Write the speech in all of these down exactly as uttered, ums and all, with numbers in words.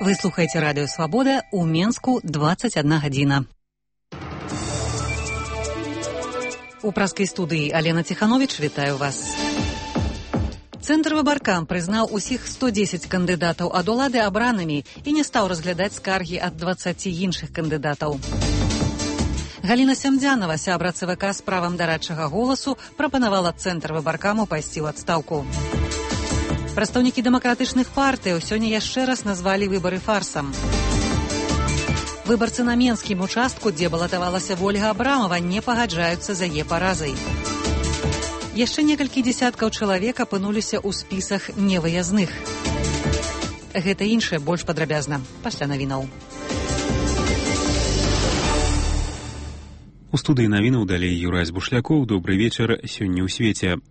Вы слухаете радио «Свобода», у Менску двадцать одна гадзіна. У праскай студыі Алена Ціхановіч, вітаю вас. Цэнтр выбаркам прызнаў усіх сто дзесяць кандыдатаў ад улады абранымі і не стаў разглядаць скаргі ад дваццаці іншых кандыдатаў. Галіна Сямдзянова, сябра ЦВК з правам дарадчага голасу, прапанавала Цэнтр выбаркаму пайсці ў адстаўку. Прадстаўнікі дэмакратычных партыяў сёння яшчэ раз назвалі выбары фарсам. Выбарцы на менскім участку, дзе балатавалася Вольга Абрамова, не пагаджаюцца з яе паразай. Яшчэ некалькі дзесяткаў чалавек апынуліся ў спісах невыязных. Гэта іншае больш падрабязна пасля навінаў. У студыі навінаў далей Юрась Бушлякоў. Добры вечар. Сёння ў свеце.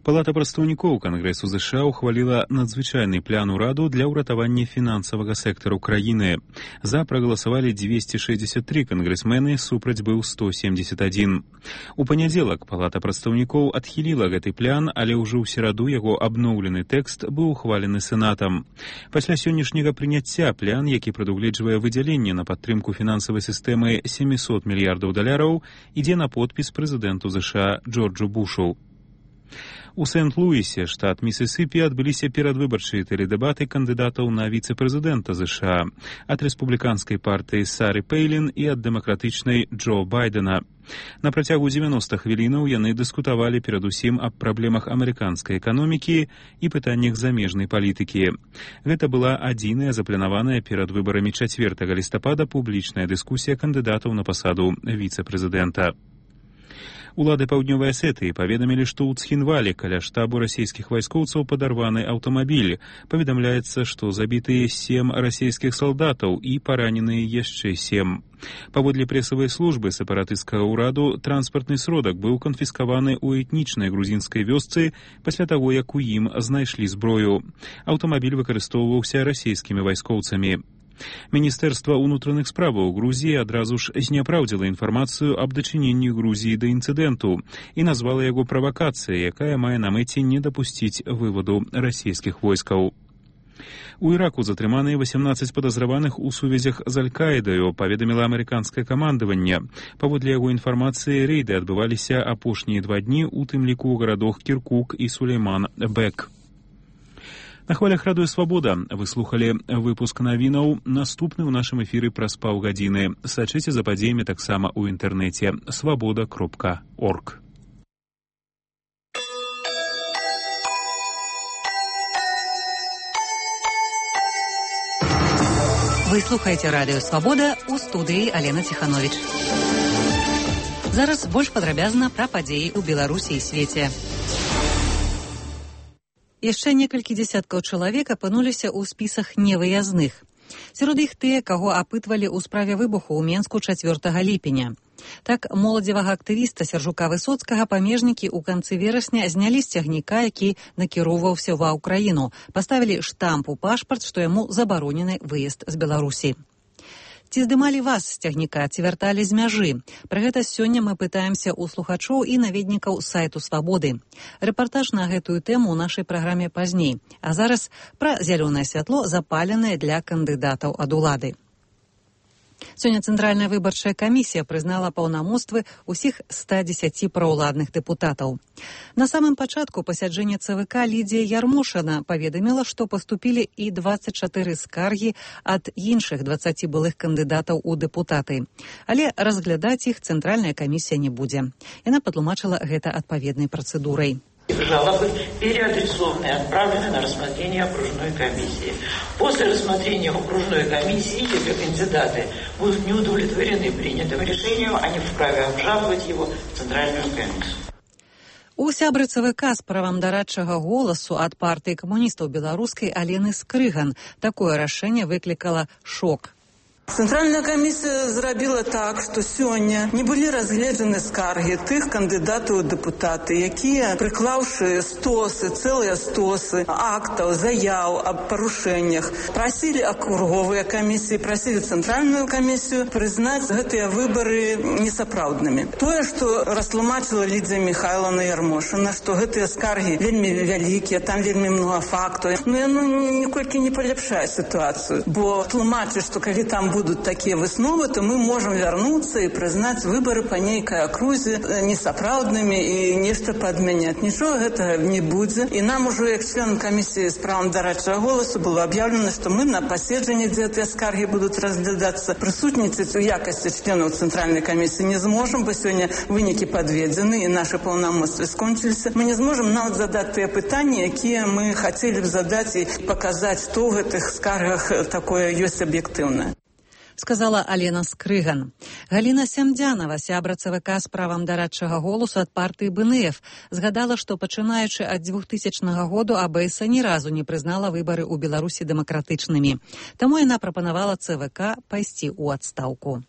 Палата прадстаўнікоў Кангрэсу ЗША ухваліла надзвычайны план ураду для ўратавання фінансавага сектару краіны. За прагаласавалі дзвесце шэсцьдзесят тры кангрэсмены, супраць быў сто семьдесят один. У панядзелак Палата прадстаўнікоў адхіліла гэты план, але ўжо ў сераду яго абноўлены тэкст быў ухвалены сенатам. Пасля сённяшняга прыняцця план, які прадугледжвае выдзяленне на падтрымку фінансавай сістэмы сямьсот мільярдаў даляраў, ідзе на подпіс прэзідэнту ЗША Джорджу Бушу. У Сент-Луісе, штат Місісіпі, адбыліся перадвыбарчыя тэледэбаты кандыдатаў на віцэ-прэзідэнта ЗША ад рэспубліканскай партыі Сары Пэйлін і ад дэмакратычнай Джо Байдена. На працягу дзевяноста хвілінаў яны дыскутавалі перадусім аб праблемах амерыканскай эканомікі і пытаннях замежнай палітыкі. Гэта была адзіная запланаваная перад выбарамі чацвёртага лістапада публічная дыскусія кандыдатаў на пасаду віцэ-прэзідэнта. Улады Паўднёвай Асетыі паведамілі, што ў Цхінвалі каля штабу расійскіх вайскоўцаў падарваны аўтамабіль. Паведамляецца, што забітыя сем расійскіх салдатаў і параненыя яшчэ сем. Паводле прэсавай службы сепаратысцкага ўраду, транспартны сродак быў канфіскаваны ў этнічнай грузінскай вёсцы пасля таго, як у ім знайшлі зброю. Аўтамабіль выкарыстоўваўся расійскімі вайскоўцамі. Міністэрства ўнутраных справаў Грузіі адразу ж зняпраўдзіла інфармацыю аб дачыненні Грузіі да інцыдэнту і назвала яго правакацыяй, якая мае на мэце не дапусціць вываду расійскіх войскаў. У Іраку затрыманыя васямнаццаць падазраваных у сувязях з Аль-Каідаю, паведаміла амерыканскае камандаванне. Паводле яго інфармацыі, рэйды адбываліся апошнія два дні, у тым ліку ў гарадах Кіркук і Сулейман-Бек. На хвалях радыё «Свабода» вы слухалі выпуск навінаў. Наступны ў нашым эфіры праз паўгадзіны. Сачыце за падзеямі таксама ў інтэрнэце свабода кропка орг. Вы слухаеце радыё «Свабода», у студыі Алена Ціхановіч. Зараз больш падрабязна пра падзеі ў Беларусі і свеце. Яшчэ некалькі дзесяткаў чалавек апынуліся ў спісах невыязных. Сярод іх тыя, каго апытвалі ў справе выбуху ў Менску чацвёртага ліпеня. Так, моладзевага актывіста Сяржука Высоцкага памежнікі ў канцы верасня знялі з цягніка, які накіроўваўся ва ўкраіну. Паставілі штамп у пашпарт, што яму забаронены выезд з Беларусі. Ці здымалі вас з цягніка, ці вярталі з мяжы? Пра гэта сёння мы пытаемся ў слухачоў і наведнікаў сайту «Свабоды». Рэпартаж на гэтую тэму ў нашай праграме пазней. А зараз пра зялёнае святло, запаленае для кандыдатаў ад улады. Сёння Цэнтральная выбарчая камісія прызнала паўнамоцтвы ўсіх ста дзесяці праўладных дэпутатаў. На самым пачатку пасяджэння ЦВК Лідзія Ярмошына паведаміла, што паступілі і дваццаць чатыры скаргі ад іншых дваццаці былых кандыдатаў у дэпутаты. Але разглядаць іх Цэнтральная камісія не будзе. Яна патлумачыла гэта адпаведнай працэдурай. Жалобы переадресованы и отправлены на рассмотрение окружной комиссии. После рассмотрения окружной комиссии, если кандидаты будут не удовлетворены принятым решением, они вправе обжаловать его в Центральную комиссию. У сябры ЦВК з правам дарадчага голасу ад партыі камуністаў беларускай Алены Скрыган такое рашэнне выклікала шок. Цэнтральная камісія зрабіла так, што сёння не былі разгледжаны скаргі тых кандыдатаў у дэпутаты, якія, прыклаўшы стосы, цэлыя стосы актаў, заяў аб парушэннях, прасілі акруговыя камісіі, прасілі цэнтральную камісію прызнаць гэтыя выбары несапраўднымі. Тое, што растлумачыла Лідзія Міхайлаўна Ярмошына, што гэтыя скаргі вельмі вялікія, там вельмі многа фактаў, но яно ніколькі не паляпшае сітуацыю, бо тлумачыць, што калі там будут такие высновы, то мы можем вернуться и признать выборы по нейкой окрузе несапраўдными и нечто подменять. Ничего этого не будет. И нам уже, как членам комиссии с правом дорадчего голоса, было объявлено, что мы на поседжании, где эти скарги будут разглядаться, присутствовать в якости членов Центральной комиссии не сможем, бо сегодня выники подведены и наши полномочия скончились. Мы не сможем нават задать те питания, которые мы хотели бы задать и показать, что в этих скаргах такое есть объективное. Сказала Алена Скрыган. Галина Сямдзянова, сябра ЦВК з правам дарадчага голосу ад партыі БНФ, згадала, што пачынаючы ад двухтысячнага году АБС ні разу не прызнала выбары ў Беларусі дэмакратычнымі. Таму яна прапанавала ЦВК пайсці ў адстаўку.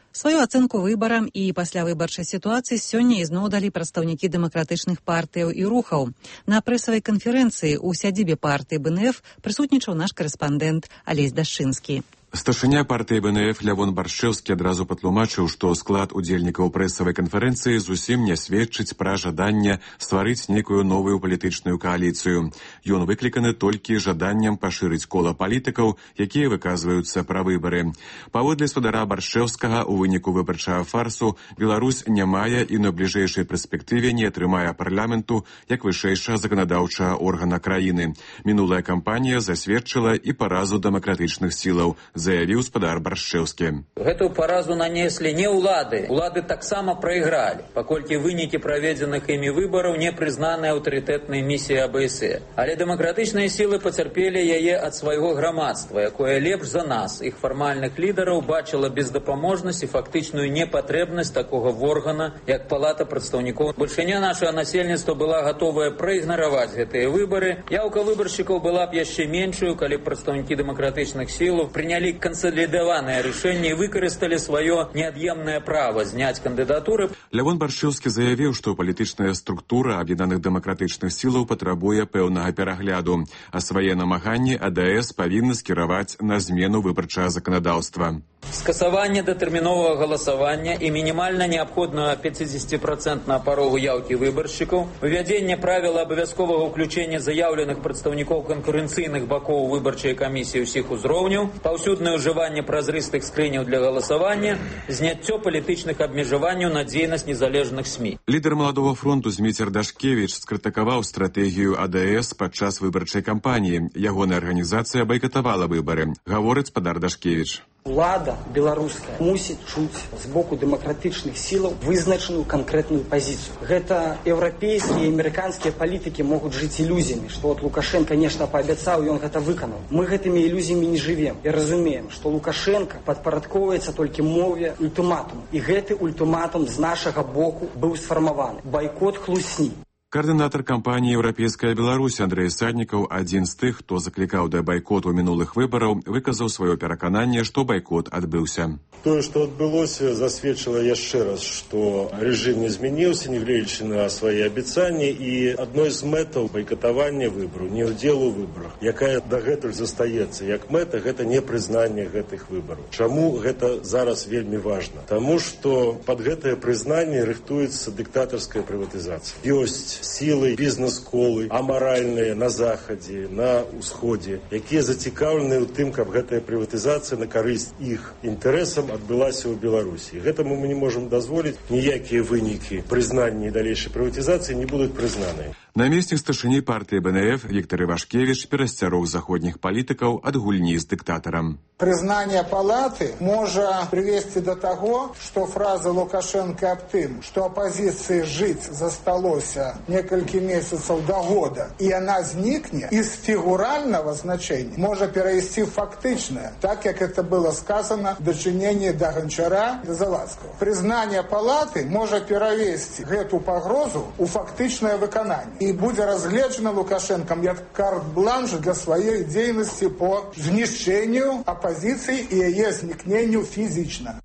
Сваю ацэнку выбарам і паслявыбарчай сітуацыі сёння ізноў далі прадстаўнікі дэмакратычных партыяў і рухаў. На прэсавай канферэнцыі ў сядзібе партыі БНФ прысутнічаў наш карэспандэнт Алесь Дашчынскі. Старшыня партыі БНФ Лявон Баршчэўскі адразу патлумачыў, што склад удзельнікаў прэсавай канферэнцыі зусім не сведчыць пра жаданне стварыць нейкую новую палітычную кааліцыю. Ён выкліканы толькі жаданнем пашырыць кола палітыкаў, якія выказваюцца пра выбары. Паводле спадара Баршчэўскага, у выніку выбарчага фарсу Беларусь не мае і на бліжэйшай перспектыве не атрымае парламенту як вышэйшага заканадаўчага органа краіны. Мінулая кампанія засведчыла і паразу дэмакратычных сілаў, заявіў спадар Баршчэўскі. Гэтую паразу нанеслі не ўлады. Улады таксама прайгралі, паколькі вынікі праведзеных імі выбараў не прызнаныя аўтарытэтнай місіяй АБС. Але дэмакратычныя сілы пацярпелі яе ад свайго грамадства, якое лепш за нас, іх фармальных лідараў, бачыла бездапаможнасць і фактычную непатрэбнасць такога органа, як Палата прадстаўнікоў. Бальшыня нашага насельніцтва была гатовая праігнараваць гэтыя выбары. Яўка выбаршчыкаў была б яшчэ меншую, калі прадстаўнікі дэмакратычных сілаў прынялі кансалідаванае рашэнне і выкарысталі сваё неад'емнае права зняць кандыдатуры. Лявон Баршчэўскі заявіў, што палітычная структура аб'яднаных дэмакратычных сілаў патрабуе пэўнага перагляду, а свае намаганні АДС павінны скіраваць на змену выбарчага заканадаўства. Скасаванне датэрміновага галасавання і мінімальна неабходную пяцідзесяціпрацэнтную парогу яўкі выбаршчыкаў, вывядзенне правіла абавязковага ўключэння заяўленых прадстаўнікоў канкурэнцыйных бакоў выбарчай камісіі ўсіх узроўняў, паўсюднае ўжыванне празрыстых скрыняў для галасавання, зняццё палітычных абмежаванняў на дзейнасць незалежных СМІ. Лідар Маладога фронту Зміцер Дашкевіч скрытыкаваў стратэгію АДС падчас выбарчай кампаніі. Ягоная арганізацыя байкатавала выбары, гаворыць спадар Дашкевіч. Улада беларуская мусіць чуць з боку дэмакратычных сілаў вызначаную канкрэтную пазіцыю. Гэта еўрапейскія і амерыканскія палітыкі могуць жыць ілюзіямі, што от Лукашенко нешта паабяцаў, ён гэта выканаў. Мы гэтымі ілюзіямі не жывем і разумеем, што Лукашенко падпарадкоўваецца толькі мове ультыматуму. І гэты ультыматум з нашага боку быў сфармаваны. Байкот хлусні. Каардынатар кампаніі «Еўрапейская Беларусь» Андрэй Саднікаў, адзін з тых, хто заклікаў да байкоту мінулых выбараў, выказаў сваё перакананне, што байкот адбыўся. Тое, што адбылося, засведчыла яшчэ раз, што рэжым не змяніўся, нягледзячы на свае абяцанні, і адной з мэтаў байкатавання выбараў, не ўдзелу ў выбарах, якая дагэтуль застаецца як мэта, гэта непрызнанне гэтых выбараў. Чаму гэта зараз вельмі важна? Таму што пад гэтае прызнанне рыхтуецца дыктатарская прыватызацыя. Ёсць сілы, бізнес-колы, амаральныя на захадзе, на ўсходзе, якія зацікаўлены ў тым, каб гэтая прыватызацыя на карысць іх інтарэсам адбылася ў Беларусі. Гэтаму мы не можам дазволіць, ніякія вынікі прызнання і далейшай прыватызацыі не будуць прызнаныя. Намеснік старшыні партыі БНФ Віктор Івашкевіч перасцярог заходніх палітыкаў ад гульні з дыктатарам. Прызнанне палаты можа прывесці да таго, што фраза Лукашенко аб тым, што апазіцыі жыць засталося несколько месяцев до года, и она зникнет, из фигурального значения может перейти в фактичное, так как это было сказано в дочинении до Гончара и Завадского. Признание палаты может перевести эту погрозу у фактичное выконание. И будет разгледжено Лукашенком как карт-бланш для своей деятельности по знищению оппозиции и ее зникнению физично.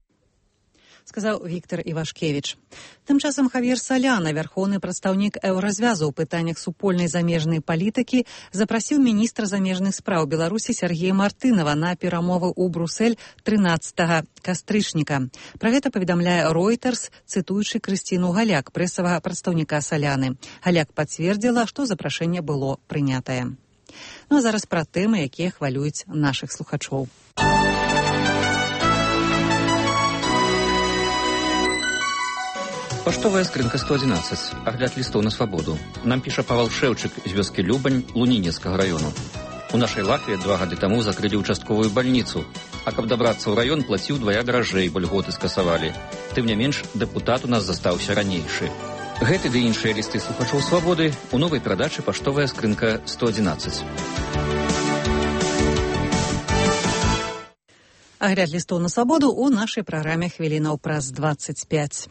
Сказаў Віктор Івашкевіч. Тым часам Хавьер Соляна, вярхоўны прадстаўнік еўразвязу ў пытаннях супольнай замежнай палітыкі, запрасіў міністра замежных спраў Беларусі Сергея Мартынова на перамовы ў Брусэль трынаццатага кастрычніка. Пра гэта паведамляе Reuters, цытуючы Крысціну Галяк, прэсавага прадстаўніка Соляны. Галяк пацвердзіла, што запрашэнне было прынятае. Ну а зараз пра тэмы, якія хвалююць нашых слухачоў. Паштовая скрынка сто одиннадцать. Агляд лістоў на свабоду. Нам піша Павал Шэўчык з вёскі Любань Лунінецкага раёну. У нашай Латвіі два гады таму закрылі ўчастковую бальніцу, а каб дабрацца ў раён, плаціў двая даражэй, бо льготы скасавалі. Тым не менш, дэпутат у нас застаўся ранейшы. Гэты ды іншыя лісты слухачоў свабоды у новай перадачы «Паштовая скрынка сто одиннадцать». Агляд лістоў на свабоду ў нашай праграме хвілінаў праз дваццаць пяць.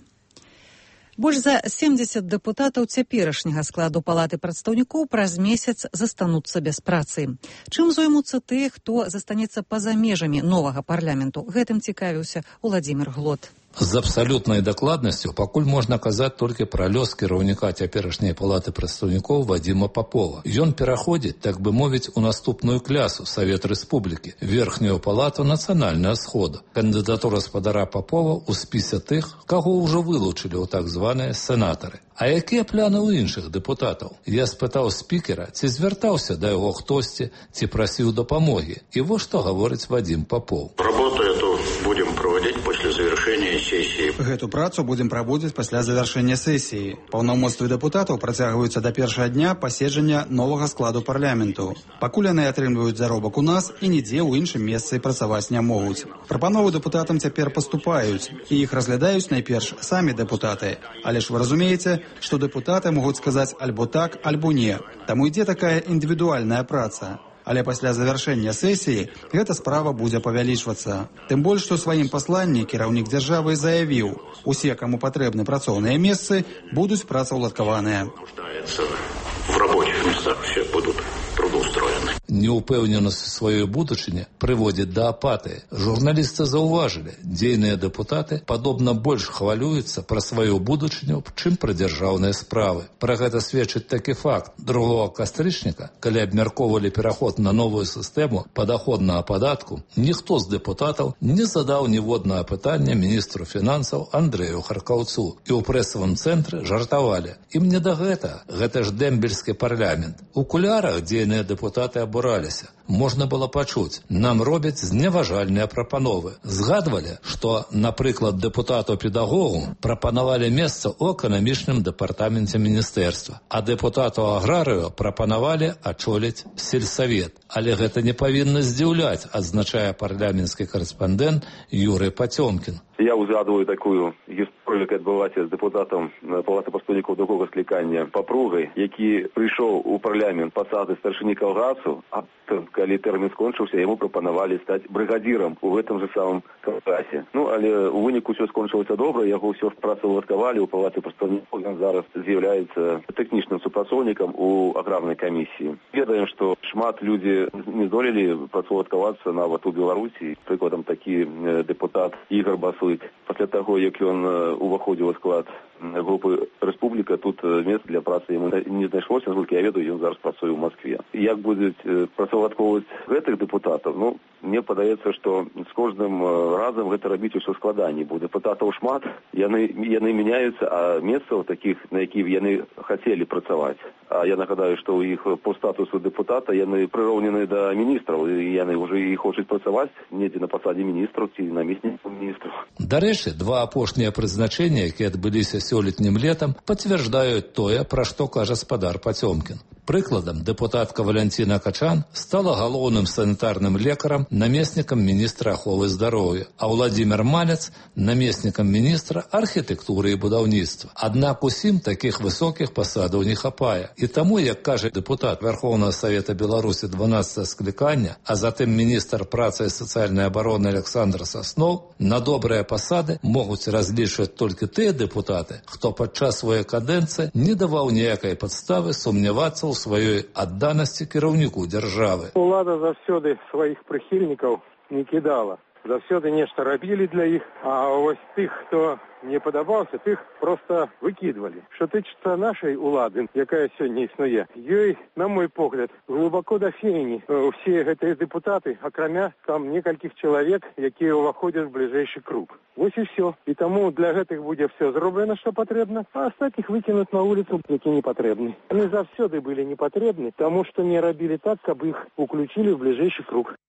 Больш за семдзесят дэпутатаў цяперашняга складу палаты прадстаўнікоў праз месяц застануцца без працы. Чым зоймуцца тыя, хто застанецца па-за межамі новага парламенту? Гэтым цікавіўся Уладзімір Глот. З абсалютнай дакладнасцю пакуль можна казаць толькі пра лёс кіраўніка цяперашняй палаты прадстаўнікоў Вадзіма Папова. Ён пераходзіць, так бы мовіць, у наступную клясу Савет Рэспублікі, верхнюю палату нацыянальнага схода. Кандыдатура спадара Папова ў спісе тых, каго ўжо вылучылі ў так званыя сенатары. А якія пляны ў іншых дэпутатаў? Я спытаў спікера, ці звяртаўся да яго хтосьці, ці прасіў дапамогі. І вось што гаворыць Вадзім Папоў. Работу эту будем проводить после завершения сессии. Гэту працу будем праводзіць пасля завяршэння сесіі. Паўнамоцтвы дэпутатаў працягваюцца да першага дня паседжання новага складу парламенту. Пакуль яны атрымліваюць заробак у нас і нідзе ў іншым месцы працаваць не могуць. Прапановы дэпутатам цяпер паступаюць, і іх разглядаюць найперш самі дэпутаты. Але ж вы разумееце, што дэпутаты могуць сказаць альбо так, альбо не. Таму ідзе такая індывідуальная праца. Але пасля завяршэння сесіі гэта справа будзе павялічвацца. Тым больш, што ў сваім пасланні кіраўнік дзяржавы заявіў, усе, каму патрэбны працоўныя месцы, будуць працаўладкаваныя. В рабочих местах все будут трудоустроены. Неупэўненасць сваёй будучыні прыводзіць да апатыі. Журналісты заўважылі, дзейныя дэпутаты падобна больш хвалююцца пра сваю будучыню, чым пра дзяржаўныя справы. Пра гэта сведчыць такі факт. другога кастрычніка, калі абмяркоўвалі пераход на новую сістэму падаходнага падатку, ніхто з дэпутатаў не задаў ніводнага пытання міністру фінансаў Андрэю Харкаўцу. І ў прэсавым цэнтры жартавалі. Ім не да гэта. Гэта ж дэмбельскі парламент. У кулярах дзейныя дэпутаты абураліся. Можна было пачуць, нам робяць зневажальныя прапановы. Згадвалі, што, напрыклад, дэпутату-педагогу прапанавалі месца ў эканамічным дэпартаменце міністэрства, а дэпутату аграрыю прапанавалі ачоліць сельсавет. Але гэта не павінна здзіўляць, адзначае парламенtsкі карэспандэнт Юрый Пацёмкін. Я узгадываю такую гісторыю, яка адбылася з дэпутатам палаты прадстаўнікоў другога склікання Папругай, які прыйшоў у парламент пасады старшыні калгасу, а калі тэрмін скончыўся, яму прапанавалі стаць брыгадзірам у гэтым же самым калгасе. Ну, але у выніку ўсё скончылася добра, яго ўсё працаўладкавалі ў палаце прадстаўнікоў, ён зараз з'яўляецца тэхнічным супрацоўнікам у аграрнай камісіі. Ведаем, што шмат людзі не здолелі працаўладкавацца нават у Беларусі. Прыкладам, такі дэпутат Ігор Басуй. Пасля таго, як ён уваходзіў у склад групы Рэспубліка, тут месца для працы яму не знайшлося, наскільки я ведаю, ён зараз працуе ў Москве. Як будуць працаўладкоўваць гэтых дэпутатаў? Ну, мне падаецца, што з кожным разам гэта рабіць усё складаней. Бо дэпутатаў шмат, яны, яны мяняюцца, а месцаў такіх, на якіх яны хацелі працаваць. А я нагадаю, што ў іх по статусу дэпутата яны прыроўнены да міністраў, і яны ўжо і хочуць працаваць недзе на пасадзе міністраў ці намеснікаў міністраў. Дарэчы, два апошнія прызначэння, якія адбыліся сёлетнім летам, пацвярджаюць тое, пра што кажа спадар Пацёмкін. Прыкладам, дэпутатка Валянціна Качан стала галоўным санітарным лекарам, намеснікам міністра аховы здароўя, а Владзімір Малец – намеснікам міністра архітэктуры і будаўніцтва. Аднак усім такіх высокіх пасадаў не хапае. І таму, як кажа дэпутат Верховного Совета Беларусі дванаццатага склікання, а затым міністр працы і сацыяльнай абароны Александр Сасноў, на добрыя пасады могуць разлічваць толькі тыя дэпутаты, хто падчас сваёй кадэнцыі не даваў ніякай падставы сумнявацца ў сваёй адданасці кіраўніку дзяржавы. Улада заўсёды сваіх прыхільнікаў не кідала. Заўсёды нешта рабілі для іх, а вось тых, хто не падабаўся, тых проста выкідвалі. Што тычыцца нашай улады, якая сёння існуе, ёй, на мой погляд, глыбоко да фені ўсе гэтыя дэпутаты, акрамя там некалькіх чалавек, якія ўваходзяць в бліжэйшы круг. Вось і ўсё. І таму для гэтых будзе ўсё зроблена, што патрэбна, а астатніх выкінуць на вуліцу, які не патрэбны. Яны заўсёды былі не патрэбны, таму што не рабілі так, каб іх уключілі ў бліжэйшы круг.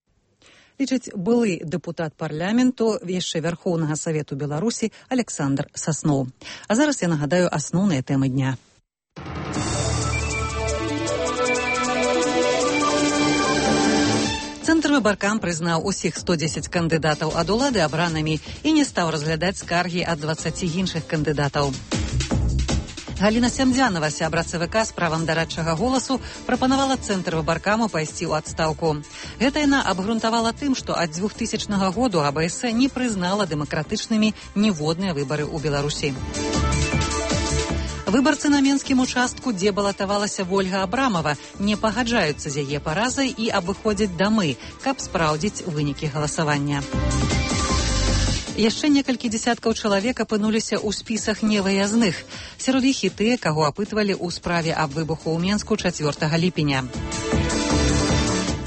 Лічыць былы дэпутат парламенту яшчэ Верхоўнага Савету Беларусі Александр Сасноў. А зараз я нагадаю асноўныя тэмы дня. Цэнтр выбаркам прызнаў усіх сто дзесяць кандыдатаў ад улады абранымі і не стаў разглядаць скаргі ад дваццаці іншых кандыдатаў. Галіна Сямдзянова, сябра ЦВК з правам дарадчага голасу, прапанавала Цэнтр выбаркаму пайсці ў адстаўку. Гэта яна абгрунтавала тым, што ад двухтысячнага году АБС не прызнала дэмакратычнымі ніводныя выбары ў Беларусі. Выбарцы на менскім участку, дзе балатавалася Вольга Абрамова, не пагаджаюцца з яе паразай і абыходзяць дамы, каб спраўдзіць вынікі галасавання. Яшчэ некалькі дзесяткаў чалавек апынуліся ў спісах невыязных. Сярод іх і тыя, каго апытвалі ў справе аб выбуху ў Менску чацвёртага ліпеня.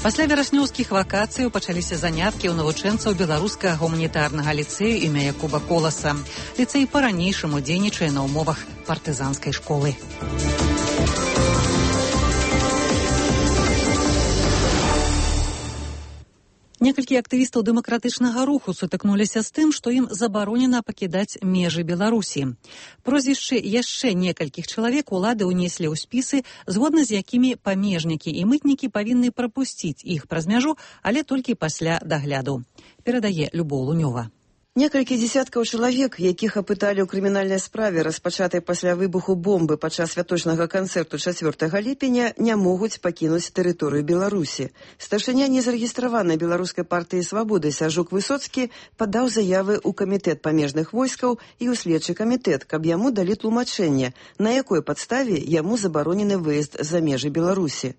Пасля вераснёўскіх вакацыяў пачаліся заняткі ў навучэнцаў беларускага гуманітарнага ліцэю імя Якуба Коласа. Ліцэй па-ранейшаму дзейнічае на ўмовах партызанскай школы. Некалькі актывістаў дэмакратычнага руху сутыкнуліся з тым, што ім забаронена пакідаць межы Беларусі. Прозвішчы яшчэ некалькіх чалавек улады ўнеслі ў спісы, згодна з якімі памежнікі і мытнікі павінны прапусціць іх праз мяжу, але толькі пасля дагляду. Перадае Любоў Лунёва. Некалькі дзесяткаў чалавек, якіх апыталі ў крымінальнай справе, распачатай пасля выбуху бомбы падчас святочнага канцэрту чацвёртага ліпеня, не могуць пакінуць тэрыторыю Беларусі. Старшыня незарэгістраванай беларускай партыі «Свабоды» Сяржук Высоцкі падаў заявы ў камітэт памежных войскаў і ў следчы камітэт, каб яму далі тлумачэнне, на якой падставе яму забаронены выезд за межы Беларусі.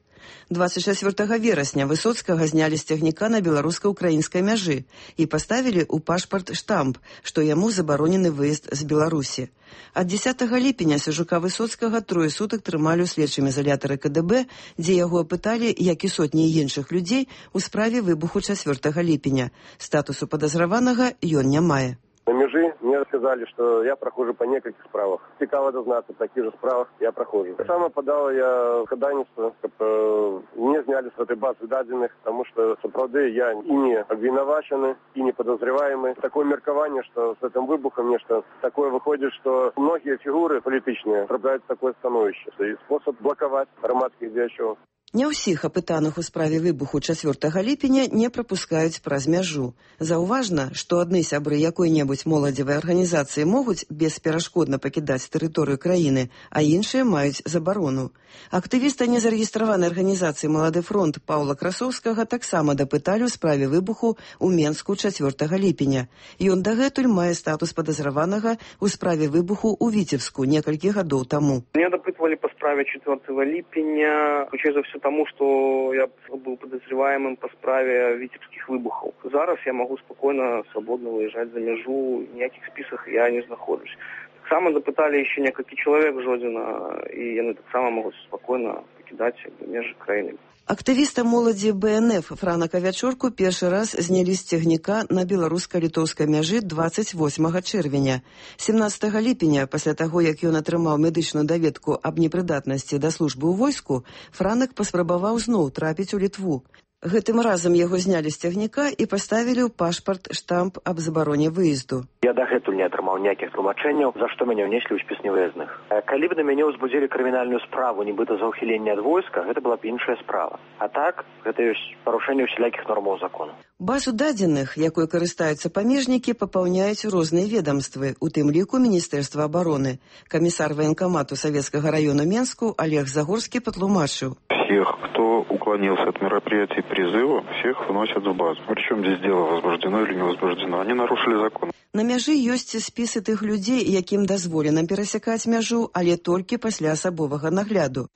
дваццаць чацвёртага верасня Высоцкага знялі з цягніка на беларуска-украінскай мяжы і паставілі ў пашпарт штамп, што яму забаронены выезд з Беларусі. Ад дзесятага ліпеня Сяржука Высоцкага трое сутак трымалі ў следчым изолятары КДБ, дзе яго апыталі, як і сотні іншых людзей, у справе выбуху чацвёртага ліпеня. Статусу падазраванага ён не мае. На межи мне сказали, что я прохожу по нескольких справах. Цікаво дознаться, в таких же справах я прохожу. Саме подал я ходайництво, чтобы мне сняли с этой базы даденных, потому что, соправды, я и не обвинувачены, и не подозреваемый. Такое меркование, что с этим выбухом нечто такое выходит, что многие фигуры политичные трапляют в такое становище. И способ блоковать громадских діячів. Не ўсіх апытаных у справе выбуху чацвёртага ліпеня не прапускаюць праз мяжу. Заўважна, што адны сябры якой-небудзь моладзевай арганізацыі могуць бесперашкодна пакідаць тэрыторыю краіны, а іншыя маюць забарону. Актывіста незарэгістраванай арганізацыі «Малады фронт» Паўла Красоўскага таксама дапыталі ў справе выбуху ў Менску чацвёртага ліпеня. Ён дагэтуль мае статус падазраванага ў справе выбуху ў Віцебску некалькі гадоў таму. Меня допытывали по справе четвёртого липеня, ключей за все тому, что я был подозреваемым по справе витебских выбухов. Зараз я могу спокойно, свободно выезжать за межу, в никаких списках я не нахожусь. Так само допытали еще несколько человек Жодина, и они так само могут спокойно покидать межи краины. Актывіста моладзі Бэ Эн Эф Франа Кавячорку першы раз знялі з цягніка на беларуска-літоўскай мяжы дваццаць восьмага чэрвеня. семнаццатага ліпеня, пасля таго, як ён атрымаў медычную даведку аб непрыдатнасці да службы ў войску, Франак паспрабаваў зноў трапіць у Літву. Гэтым разам яго знялі з цягніка і паставілі ў пашпарт штамп аб забароне выезду. Я дагэтуль не атрымаў ніякіх тлумачэнняў, за што мяне ўнеслі ў спіс невыязных. Калі б на мяне ўзбудзілі крымінальную справу, нібыта за ўхіленне ад войска, гэта была б іншая справа. А так, гэта ёсць парушэнне ўсялякіх нормаў закону. Базу дадзеных, якой карыстаюцца памежнікі, папаўняюць розныя ведомствы, у тым ліку Міністэрства обороны. Камісар военкомату Советского района Менску Олег Загорский патлумачыў. Всех, кто уклонился от мероприятий призыва, всех вносят в базу. Причем здесь дело возбуждено или не возбуждено. Они нарушили закон. На мяжы ёсць спісы тых людзей, якім дазволена перасякаць мяжу, але толькі пасля асабовага нагляду.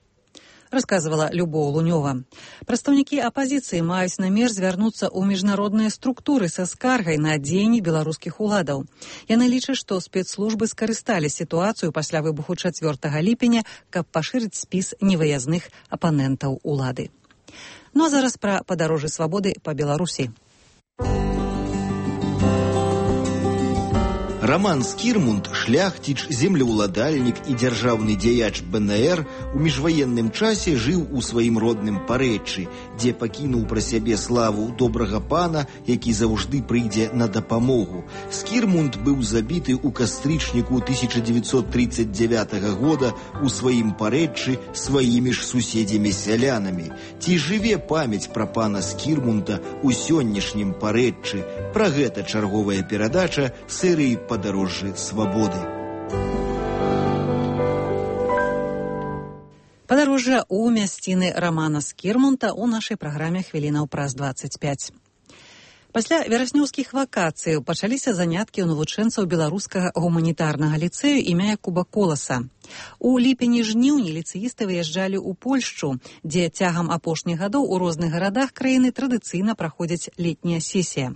Расказвала Любоў Лунёва. Прадстаўнікі апазіцыі маюць намер звярнуцца ў міжнародныя структуры са скаргай на дзеянні беларускіх уладаў. Яны лічаць, што спецслужбы скарысталі сітуацыю пасля выбуху чацвёртага ліпеня, каб пашырыць спіс невыязных апанентаў улады. Ну а зараз пра падарожжы свабоды па Беларусі. Роман Скірмунд, шляхціч, землеўладальнік і дзяржаўны дзеяч бэ эн ер у міжваенным часе жыў у сваім родным Парэччы, дзе пакінуў пра сябе славу добрага пана, які заўжды прыйдзе на дапамогу. Скірмунд быў забіты ў кастрычніку тысяча дзевяцьсот тридцать девятого года у сваім Парэччы сваімі ж суседзямі-сялянамі. Ці жыве памяць пра пана Скірмунда ў сённяшнім Парэччы? Пра гэта чарговая перадача серыі «Падарожжы свабоды». Падарожжа ў мясціны Рамана Скірмунта ў нашай праграме хвілінаў праз дваццаць пяць. Пасля вераснёўскіх вакацыяў пачаліся заняткі ў навучэнцаў беларускага гуманітарнага ліцэю імя Якуба Коласа. У ліпені-жніўні ліцэісты выязджалі ў Польшчу, дзе цягам апошніх гадоў у розных гарадах краіны традыцыйна праходзіць летняя сесія.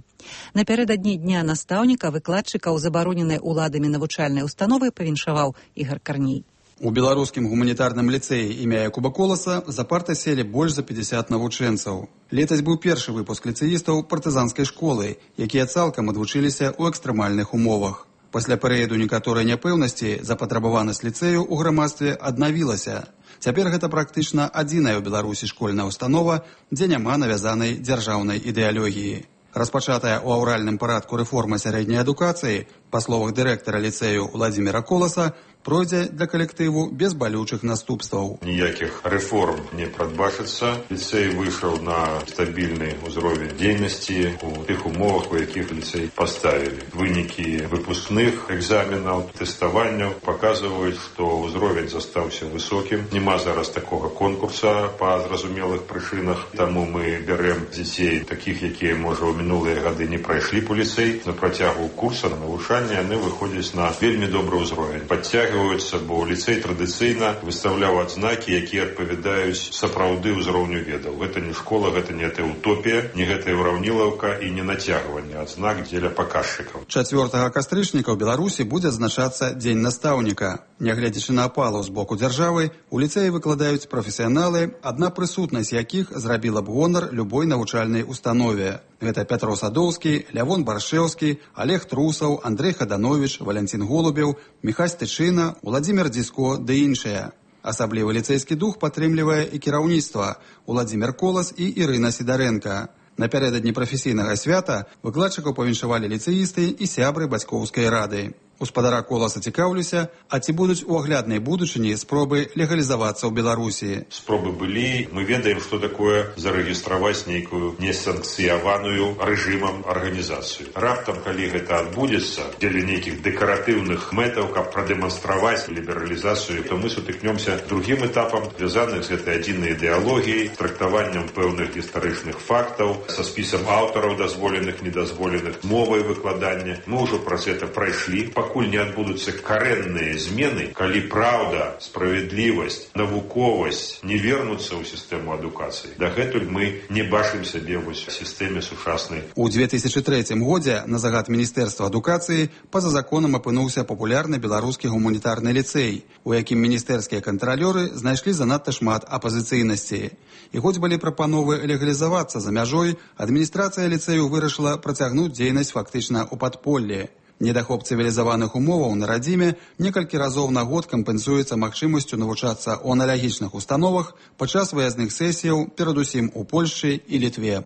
Напярэдадні дня настаўніка выкладчыкаў забароненай уладамі навучальнай установы павіншаваў Ігар Карней. У беларускім гуманітарным ліцэі імя Якуба Коласа за партай селі больш за пятьдесят навучэнцаў. Летась быў першы выпуск ліцэістаў партызанскай школы, якія цалкам адвучыліся ў экстрэмальных умовах. Пасля перыяду некаторай няпэўнасці запатрабаванасць ліцэю ў грамадстве аднавілася. Цяпер гэта практычна адзіная ў Беларусі школьная установа, дзе няма навязанай дзяржаўнай ідэалогіі. Распачатая ў аўральным парадку рэформа сярэдняй адукацыі, па словах дырэктара ліцэю Владзіміра Коласа, пройдзе для калектыву без балючых наступстваў. Ніякіх рэформ не прадбачыцца. Ліцэй выйшаў на стабільны ўзровень дзейнасці у тых умовах, у якіх ліцэй паставілі. Вынікі выпускных экзаменаў, тэставанняў паказваюць, што ўзровень застаўся высокім. Нема зараз такога конкурса па зразумелых прычынах, таму мы бярэм дзяцей такіх, якія, можа, у мінулыя гады не прайшлі по ліцэй. На працягу курса на навучанне яны выходзяць на вельмі добры ўзровень. Падцягваюцца, бо ліцэй традыцыйна выстаўляў адзнакі, якія адпавядаюць сапраўды ўзроўню ведаў. Гэта не школа, гэта не утопія, не гэта ўраўнілаўка і не нацягванне адзнак дзеля паказчыкаў. чацвёртага кастрычніка ў Беларусі будзе адзначацца Дзень настаўніка. Нягледзячы на апалу з боку дзяржавы, у ліцэі выкладаюць прафесіяналы, адна прысутнасць якіх зрабіла б гонар любой навучальнай установе. Гэта Пятро Садоўскі, Лявон Баршэўскі, Олег Трусаў, Андрей Хаданович, Валянцін Голубеў, Міхась Тычына, Уладзімир Дзіско ды іншыя. Асаблівы ліцэйскі дух падтрымлівае і кіраўніцтва Уладзімир Колас і Ірына Сідарэнка. Напярэдадні прафесійнага свята выкладчыкаў павіншавалі ліцэісты і сябры бацькоўскай рады. У спадара Коласа цікаўлюся, а ці будуць у агляднай будучыні спробы легалізавацца ў Беларусі? Спробы былі. Мы ведаем, што такое зарэгістраваць нейкую несанкцыяваную рэжымам арганізацыю. Раптам, калі гэта адбудзецца дзеля нейкіх дэкаратыўных мэтаў, каб прадэманстраваць лібералізацыю, то мы сутыкнёмся другім этапам, звязаных з гэтай адзінай ідэалогіяй, трактаваннем пэўных гістарычных фактаў, са спісам аўтараў дазволеных, недазволеных, мовай выкладання. Мы ўжо праз гэта прайшлі. Пакуль не адбудуцца карэнныя змены, калі праўда, справядлівасць, навуковасць не вернуцца ў сістэму адукацыі, дагэтуль мы не бачым сябе вось у сістэме сучаснай. У две тысячы трэцім годзе на загад Міністэрства адукацыі па-за законам апынуўся папулярны беларускі гуманітарны ліцэй, у якім міністэрскія кантралёры знайшлі занадта шмат апазіцыйнасці. І хоць былі прапановы легалізавацца за мяжой, адміністрацыя ліцэю вырашыла працягнуць дзейнасць фактычна ў падполлі. Недахоп цывілізаваных умоваў на радзіме некалькі разоў на год кампенсуецца магчымасцю навучацца ў аналагічных установах падчас выязных сесіяў, перадусім у Польшчы і Літве.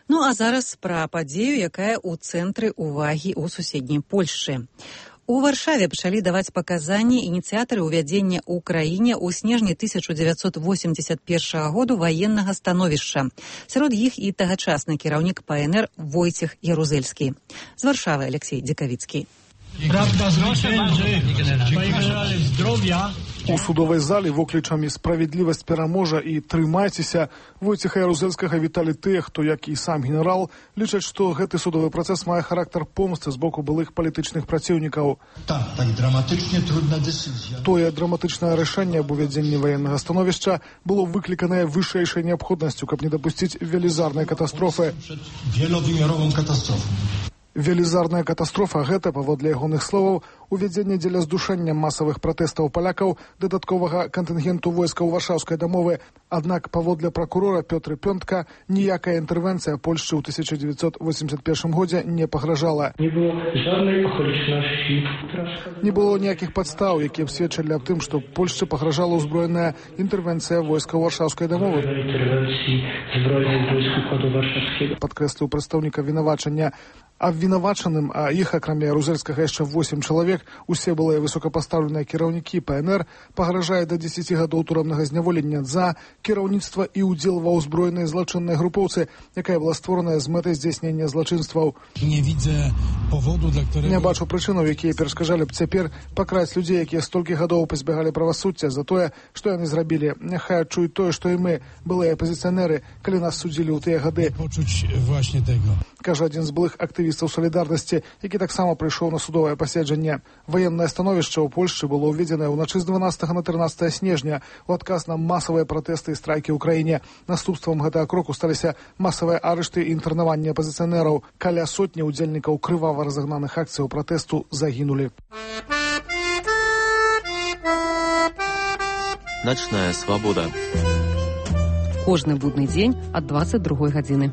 Ну а зараз пра падзею, якая ў цэнтры ўвагі ў суседняй Польшчы. У Варшаве пачалі даваць паказанні ініцыятары ўвядзення ў краіне ў снежні тысяча дзевяцьсот восемьдесят першага году ваеннага становішча. Сярод іх і тагачасны кіраўнік ПНР Войцех Ярузельскі. З Варшавы Алексей Дзекавіцкі. У судовай залі воклічамі «Справядлівасць пераможа» і «Трымайцеся» Войцеха Ярузельскага віталі тыя, хто, як і сам генерал, лічаць, што гэты судовы працэс мае характар помсты з боку былых палітычных праціўнікаў. Так, так драматычна трудна дэцызія. Тое драматычнае рашэнне аб увядзенні ваеннага становішча было выкліканае вышэйшай неабходнасцю, каб не дапусціць велізарнай катастрофы. Велавымяровым катастрофам. Велізарная катастрофа – гэта, паводле ягоных словаў, увядзенне дзеля здушэння масавых пратэстаў палякаў дадатковага кантынгенту войска ў варшаўскай дамовы. Аднак, паводле пракурора Пётры Пёнтка, ніякая інтэрвенцыя Польшчы ў тысяча дзевяцьсот восемьдесят першым годзе не пагражала. Не было жаднай акалічнасці. Не было ніякіх падстаў, якія б сведчылі аб тым, што Польшчы пагражала ўзброеная інтэрвенцыя войска ў варшаўскай дамовы. Падкрэсліў прадстаўнік абвінавачання. Абвінавачаным, а іх, акрамя Ярузельскага, яшчэ восем чалавек, усе былыя высокапастаўленыя кіраўнікі ПНР, пагражае да дзесяці гадоў турамнага зняволення за кіраўніцтва і ўдзел ва ўзброенай злачыннай групоўцы, якая была створаная з мэтай здзяйснення злачынстваў. Не відзе паводу, для ktorého... Не бачу прычынаў, якія перашкаджалі б цяпер пакраць людзей, якія столькі гадоў пазбягалі правасуддзя за тое, што яны зрабілі. Няхай адчуюць тое, што і мы, былыя апазіцыянеры, калі нас судзілі ў тыя гады. Почуць власне таго. Кажа адзін з былых актывістаў «Салідарнасці», які таксама прыйшоў на судовае паседжанне. Ваеннае становішча ў Польшчы было ўведзенае ўначы з дванаццатага на трынаццатае снежня у адказ на масавыя пратэсты і страйкі ў краіне. Наступствам гэтага кроку сталіся масавыя арышты і інтэрнаванні апазіцыянераў. Каля сотні ўдзельнікаў крывава разагнаных акцыяў пратэсту загінулі. Начная свабода. Кожны будны дзень ад дваццаць другой гадзіны.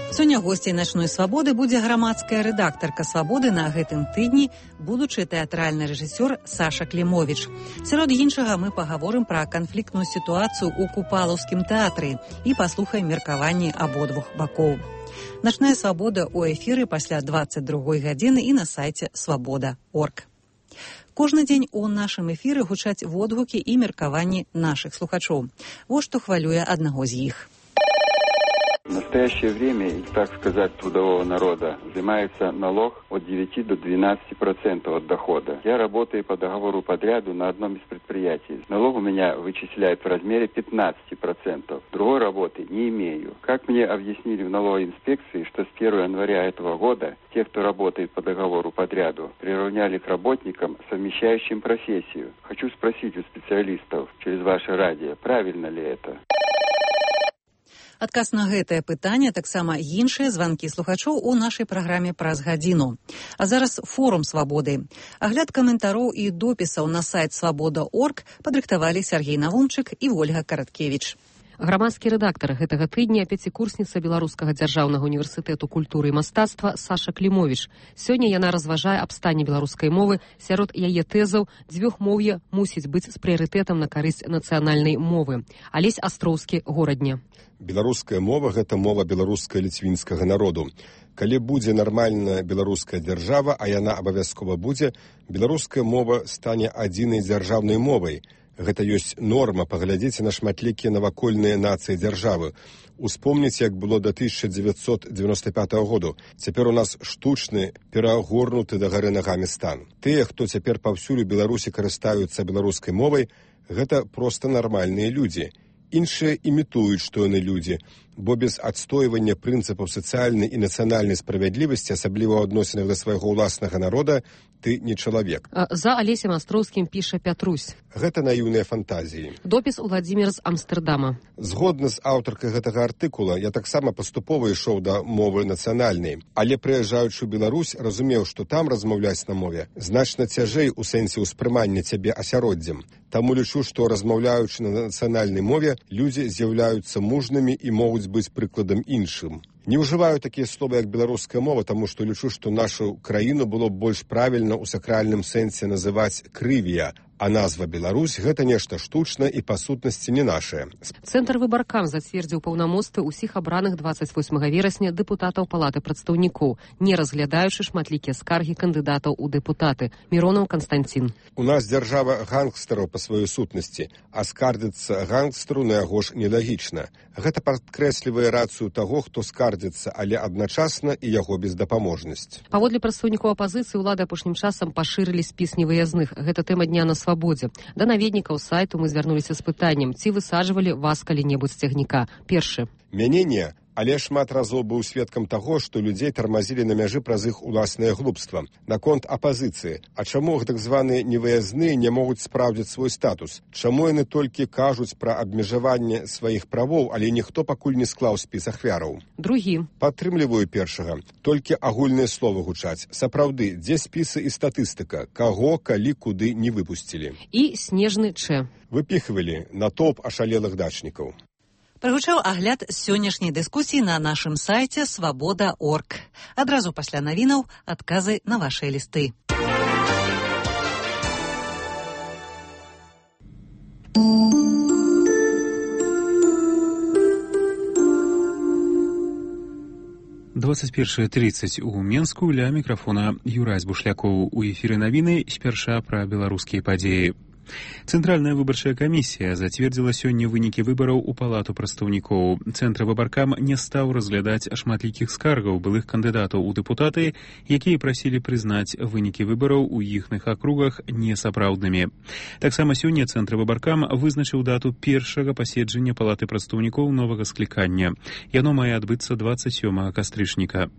Сёння госцей начной свабоды будзе грамадская рэдактарка свабоды на гэтым тыдні, будучы тэатральны рэжысёр Саша Клімовіч. Сярод іншага мы пагаворым пра канфліктную сітуацыю ў Купалаўскім тэатры і паслухаем меркаванні абодвух бакоў. Начная свабода ў эфіры пасля дваццаць другой гадзіны і на сайце свабода точка орг. Кожны дзень у нашым эфіры гучаць водгукі і меркаванні нашых слухачоў. Вось што хвалюе аднаго з іх. В настоящее время, так сказать, трудового народа взимается налог от девяти до двенадцати процентов от дохода. Я работаю по договору подряду на одном из предприятий. Налог у меня вычисляют в размере пятнадцати процентов. Другой работы не имею. Как мне объяснили в налоговой инспекции, что с первого января этого года те, кто работает по договору подряду, приравняли к работникам, совмещающим профессию. Хочу спросить у специалистов через ваше радио, правильно ли это? Адказ на гэтае пытанне, таксама іншыя званкі слухачоў у нашай праграме праз гадзіну. А зараз форум свабоды. Агляд каментароў і допісаў на сайт свабода точка орг падрыхтавалі Сергей Навумчык і Ольга Караткевіч. Грамадскі рэдактар гэтага тыдня пяцікурсніца Беларускага дзяржаўнага універсітэту культуры і мастацтва Саша Клімовіч. Сёння яна разважае аб стане беларускай мовы. Сярод яе тэзаў дзвюхмоўе мусіць быць з прыярытэтам на карысць нацыянальнай мовы. Алесь Астроўскі, Горадня. Беларуская мова – гэта мова беларуска-ліцвінскага народу. Калі будзе нармальная беларуская дзяржава, а яна абавязкова будзе, беларуская мова стане адзінай дзяржаўнай мовай. Гэта ёсць норма, паглядзіце на шматлікія навакольныя нацыі дзяржавы. Успомніце, як было да тысяча дзевяцьсот дзевяносто пятого году. Цяпер у нас штучны, перагорнуты да гары нагамі стан. Тыя, хто цяпер паўсюль у Беларусі карыстаюцца беларускай мовай, гэта проста нармальныя людзі. Іншыя імітуюць, што яны людзі, бо без адстойвання прынцыпаў сацыяльнай і нацыянальнай справядлівасці, асабліва ў адносінах да свайго ўласнага народа, ты не чалавек. За Алесем Астроўскім піша Пятрусь. Гэта наіўныя фантазіі. Допіс Уладзімір з Амстэрдама. Згодна з аўтаркай гэтага артыкула, я таксама паступова ішоў да мовы нацыянальнай, але прыязджаючы ў Беларусь, разумеў, што там размаўляць на мове значна цяжэй у сэнсе ўспрымання цябе асяроддзем. Таму лічу, што размаўляючы на нацыянальнай мове, людзі з'яўляюцца мужнымі і могуць быць прыкладам іншым. Не ўжываю такія словы, як беларуская мова, таму што лічу, што нашу краіну было б больш правільна ў сакральным сэнсе называць крывія, а назва Беларусь – гэта нешта штучнае і па сутнасці не нашае. Цэнтр выбаркам зацвердзіў паўнамоцтвы ўсіх абраных дваццаць восьмага верасня дэпутатаў Палаты прадстаўнікоў, не разглядаючы шматлікія скаргі кандыдатаў у дэпутаты. Міронаў Канстанцін. У нас дзяржава гангстараў па сваёй сутнасці, а скардзіцца гангстару на яго ж нелагічна. Гэта падкрэслівае рацыю таго, хто скардзіцца, але адначасна і яго бездапаможнасць. Паводле прадстаўнікоў апазіцыі, улады апошнім часам пашырылі спіс невыязных. Гэта тэма дня на свабодзе. Да наведнікаў сайту мы звярнуліся з пытаннем, ці высаджвалі вас калі-небудзь з цягніка. Першы. Мяне не. Але шмат разоў быў сведкам таго, што людзей тармазілі на мяжы праз іх уласнае глупства. Наконт апазіцыі. А чаму так званыя невыязныя не могуць спраўдзіць свой статус? Чаму яны толькі кажуць пра абмежаванне сваіх правоў, але ніхто пакуль не склаў спіс ахвяраў? Другі. Падтрымліваю першага. Толькі агульныя словы гучаць. Сапраўды, дзе спісы і статыстыка? Каго, калі, куды не выпусцілі? І снежны Ч. Выпіхвалі натоўп ашалелых дачнікаў. Прагучаў агляд сённяшняй дыскусіі на нашым сайце свабода точка орг. Адразу пасля навінаў адказы на вашыя лісты. двадцать первое тридцать у Менску, ля мікрафона Юрась Бушлякоў. У эфіры навіны спярша пра беларускія падзеі. Цэнтральная выбарчая камісія зацвердзіла сёння вынікі выбараў у Палату прадстаўнікоў. Цэнтр выбаркам не стаў разглядаць шматлікіх скаргаў былых кандыдатаў у дэпутаты, якія прасілі прызнаць вынікі выбараў у іхных акругах несапраўднымі. Таксама сёння Цэнтр выбаркам вызначыў дату першага паседжання Палаты прадстаўнікоў новага склікання. Яно мае адбыцца двадцать сёмага кастрычніка.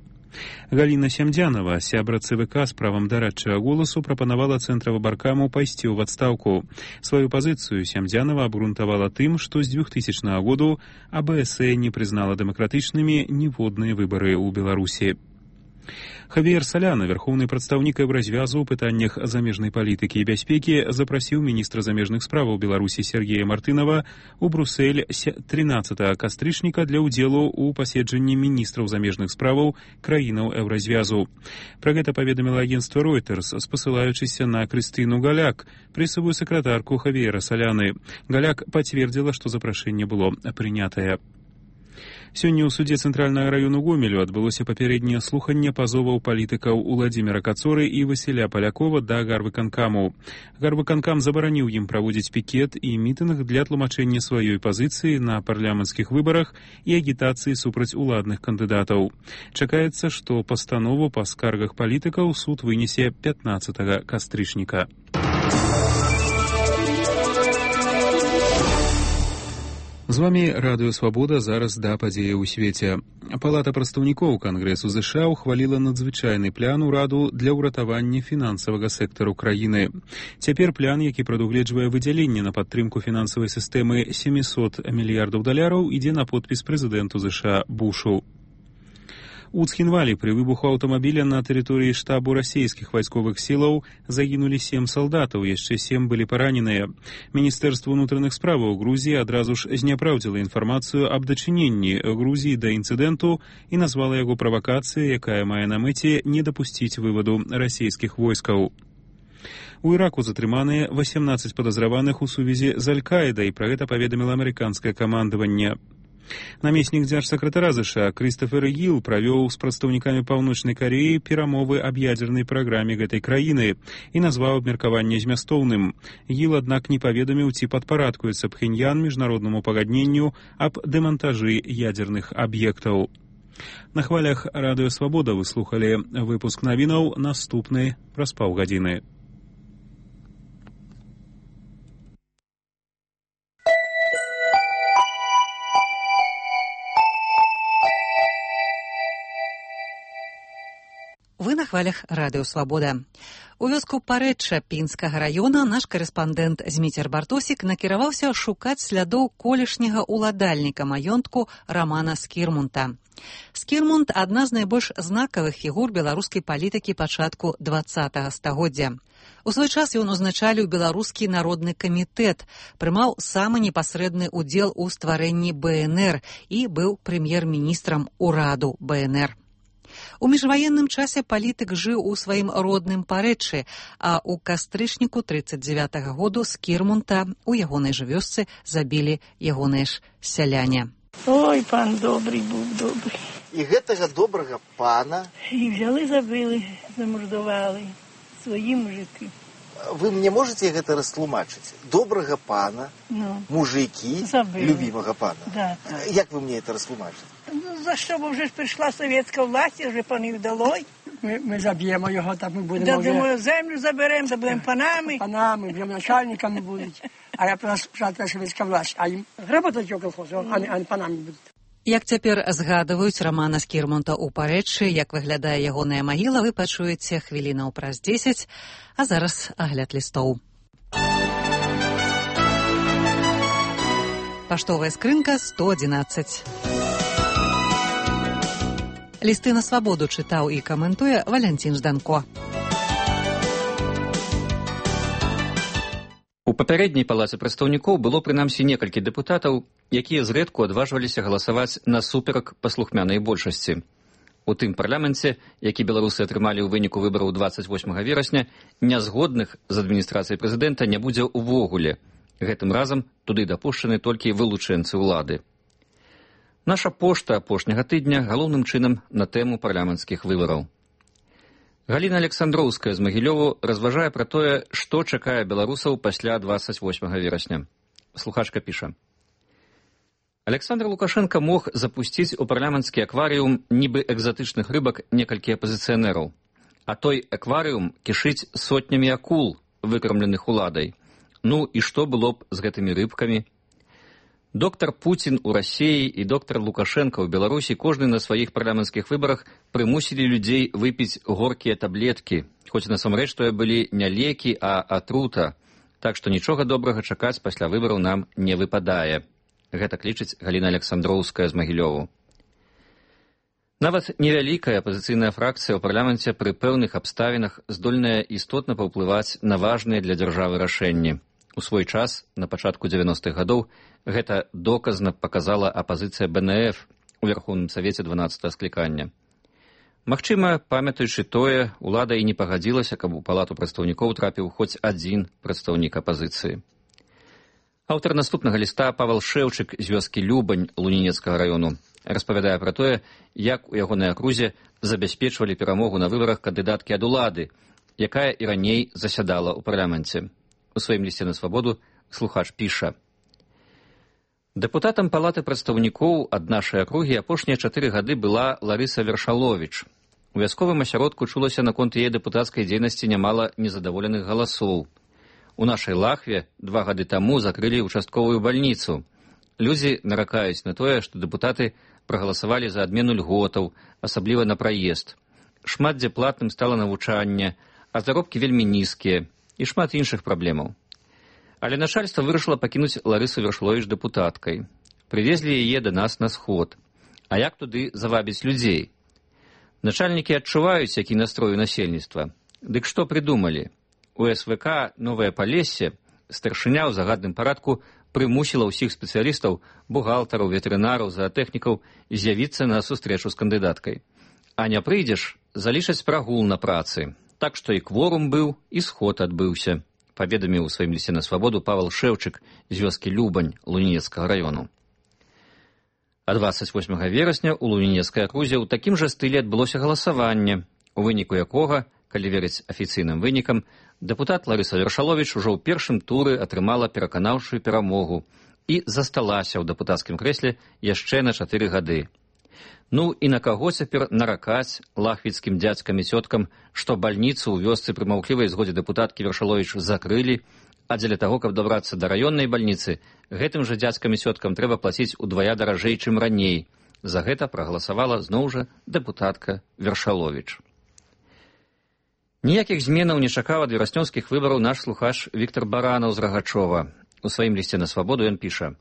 Галіна Сямдзянова, сябра ЦВК з правам дарадчага голасу, прапанавала Цэнтра выбаркаму пайсці ў адстаўку. Сваю пазіцыю Сямдзянова абгрунтавала тым, што з двухтысячнага году АБС не прызнала дэмакратычнымі ніводныя выбары ў Беларусі. Хавіер Саляна, верхоўны прадстаўнік Еўразвязу ў пытаннях замежнай палітыкі і бяспекі, запрасіў міністра замежных справаў Беларусі Сергея Мартынова ў Брусэль трынаццатага кастрычніка для ўдзелу ў паседжанні міністраў замежных справаў краінаў Еўразвязу. Пра гэта паведаміла агенцтва Reuters, спасылаючыся на Крыстыну Галяк, прэсавую сакратарку Хавіера Саляны. Галяк пацвердзіла, што запрашэнне было прынятае. Сёння ў судзе Цэнтральнага раёну Гомелю адбылося папярэдняе слуханне пазоваў палітыкаў Уладзіміра Кацоры і Васіля Палякова да гарвыканкаму. Гарвыканкам забараніў ім праводзіць пікет і мітынг для тлумачэння сваёй пазіцыі на парламенцкіх выбарах і агітацыі супраць уладных кандыдатаў. Чакаецца, што пастанову па скаргах палітыкаў суд вынесе пятнаццатага кастрычніка. З вами Радыё Свабода, зараз да падзеі ў свеце. Палата прадстаўнікоў Кангрэсу ЗША ухваліла надзвычайны план ураду для ўратавання фінансавага сектару краіны. Цяпер план, які прадугледжвае выдзяленне на падтрымку фінансавай сістэмы сямьсот мільярдаў даляраў, ідзе на подпіс прэзідэнту ЗША Бушу. У Цхінвалі пры выбуху аўтамабіля на тэрыторыі штабу расійскіх вайсковых сілаў загінулі сем салдатаў, яшчэ сем былі параненыя. Міністэрства ўнутраных справаў Грузіі адразу ж зняпраўдзіла інфармацыю аб дачыненні Грузіі да інцыдэнту і назвала яго правакацыяй, якая мае на мэце не дапусціць вываду расійскіх войскаў. У Іраку затрыманыя васемнаццаць падазраваных у сувязі з Аль-Каідай, пра гэта паведаміла амерыканскае камандаванне. Намеснік дзяржсакратара ЗША Крыстафер Гіл правёў з прадстаўнікамі Паўночнай Кареі перамовы аб ядзернай праграме гэтай краіны і назваў абмеркаванне змястоўным. Гіл, аднак, не паведаміў, ці падпарадкуецца Пхеньян міжнароднаму пагадненню аб дэмантажы ядзерных аб'ектаў. На хвалях Радыё Свабода вы слухалі выпуск навінаў, наступны праз паўгадзіны. Вы на хвалях Радыё Свабода. У вёску Парэчча Пінскага раёна наш карэспандэнт Зміцер Бартосік накіраваўся шукаць слядоў колішняга ўладальніка маёнтку Рамана Скірмунта. Скірмунд – адна з найбольш знакавых фігур беларускай палітыкі пачатку дваццатага стагоддзя. У свой час ён узначаліў беларускі народны камітэт, прымаў самы непасрэдны ўдзел у стварэнні бэ эн эр і быў прэм'ер-міністрам ураду бэ эн эр. У міжваенным часе палітык жыў у сваім родным Парэчы, а ў кастрычніку трыццаць дзявятага году Скірмунта у ягонай жа вёсцы забілі ягоныя ж сяляне. Ой, пан добрый быў, добрый. І гэтага добрага пана... І взяли, забили, замордували свої мужики. Вы мне можете гэта растлумачыць? Добрага пана, ну, мужики, забили. Любимого пана. Да. Як вы мне это растлумачите? Ну, за що, бо вже ж прийшла совєтська власть, вже пани вдалой. Ми, ми заб'ємо його, так ми будемо... Да, вже... думаю, землю заберемо, да будемо панами. Панами, будемо начальниками будуть. А я прийшла совєтська власть, а їм работать його колхозу, а не, а не панами будуть. Як цяпер згадваюць Рамана Скірмунта ў Парэчы, як выглядае ягоная магіла, вы пачуеце хвілінаў праз дзесяць, а зараз агляд лістоў. Паштовая скрынка сто адзінаццаць. Лісты на свабоду чытаў і каментуе Валянцін Жданко. У папярэдняй палаце прадстаўнікоў было прынамсі некалькі дэпутатаў, якія зрэдку адважваліся галасаваць насуперак паслухмянай большасці. У тым парламенце, які беларусы атрымалі ў выніку выбараў дваццаць восьмага верасня, нязгодных з адміністрацыяй прэзідэнта не будзе ўвогуле. Гэтым разам туды дапушчаны толькі вылучэнцы ўлады. Наша пошта апошняга тыдня галоўным чынам на тэму парламенцкіх выбараў. Галіна Александроўская з Магілёву разважае пра тое, што чакае беларусаў пасля дваццаць восьмага верасня. Слухачка піша. Александр Лукашенко мог запусціць у парламенtsкі акварыум нібы экзатычных рыбак некалькі апазіцыянераў, а той акварыум кішыць сотнямі акул, выкармленых уладай. Ну і што было б з гэтымі рыбкамі? Доктор Путін у Расіі і доктор Лукашенко ў Беларусі кожны на сваіх парламенцкіх выбарах прымусілі людзей выпіць горкія таблеткі, хоць насамрэч тое былі не лекі, а атрута, так што нічога добрага чакаць пасля выбараў нам не выпадае. Гэта лічыць Галіна Александроўская з Магілёву. Нават невялікая апазіцыйная фракцыя ў парламенце пры пэўных абставінах здольная істотна паўплываць на важныя для дзяржавы рашэнні. У свой час, на пачатку дзевяностых гадоў, гэта доказна паказала апазіцыя бэ эн эф у Верхоўным Савеце дванаццатага склікання. Магчыма, памятаючы тое, улада і не пагадзілася, каб у палату прадстаўнікоў трапіў хоць адзін прадстаўнік апазіцыі. Аўтар наступнага ліста Павал Шэўчык з вёскі Любань Лунінецкага раёну распавядае пра тое, як у ягонай акрузе забяспечвалі перамогу на выбарах кандыдаткі ад улады, якая і раней засядала ў парламенце. У сваім лісце на свабоду слухач піша. Дэпутатам палаты прадстаўнікоў ад нашай акругі апошнія чатыры гады была Ларыса Вершаловіч. У вясковым асяродку чулася наконт яе дэпутацкай дзейнасці нямала незадаволеных галасоў. У нашай Лахве два гады таму закрылі участковую бальніцу. Людзі наракаюць на тое, што дэпутаты прагаласавалі за адмену льготаў, асабліва на праезд. Шмат дзе платным стала навучанне, а заробкі вельмі нізкія і шмат іншых праблемаў. Але начальства вырашыла пакінуць Ларысу Вершаловіч дэпутаткай. Прывезлі яе да нас на сход. А як туды завабіць людзей? Начальнікі адчуваюць, які настрой у насельніцтва. Дык што прыдумалі? У эс вэ ка «Новае Палессе» старшыня ў загадным парадку прымусіла ўсіх спецыялістаў, бухгалтараў, ветэрынараў, заатэхнікаў з'явіцца на сустрэчу з кандыдаткай. А не прыйдзеш, залічаць прагул на працы. Так што і кворум быў, і сход адбыўся, паведаміў у сваім лісце на свабоду Павал Шэўчык з вёскі Любань Лунінецкага раёну. А дваццаць восьмага верасня ў Лунінецкай акрузе ў такім жа стылі адбылося галасаванне, у выніку якога, калі верыць афіцыйным вынікам, дэпутат Ларыса Вершаловіч ужо ў першым туры атрымала пераканаўчую перамогу і засталася ў дэпутацкім крэсле яшчэ на чатыры гады. Ну і на каго цяпер наракаць лахвіцкім дзядзькам і цёткам, што бальніцу ў вёсцы пры маўклівай згодзе дэпутаткі Вершаловіч закрылі, а дзеля таго, каб дабрацца да раённай бальніцы, гэтым жа дзядзькам і цёткам трэба плаціць удвая даражэй, чым раней. За гэта прагаласавала зноў жа дэпутатка Вершаловіч. Ніякіх зменаў не чакаў ад вераснёўскіх выбараў наш слухач Віктор Баранаў з Рагачова. У сваім лісце на свабоду ён піша.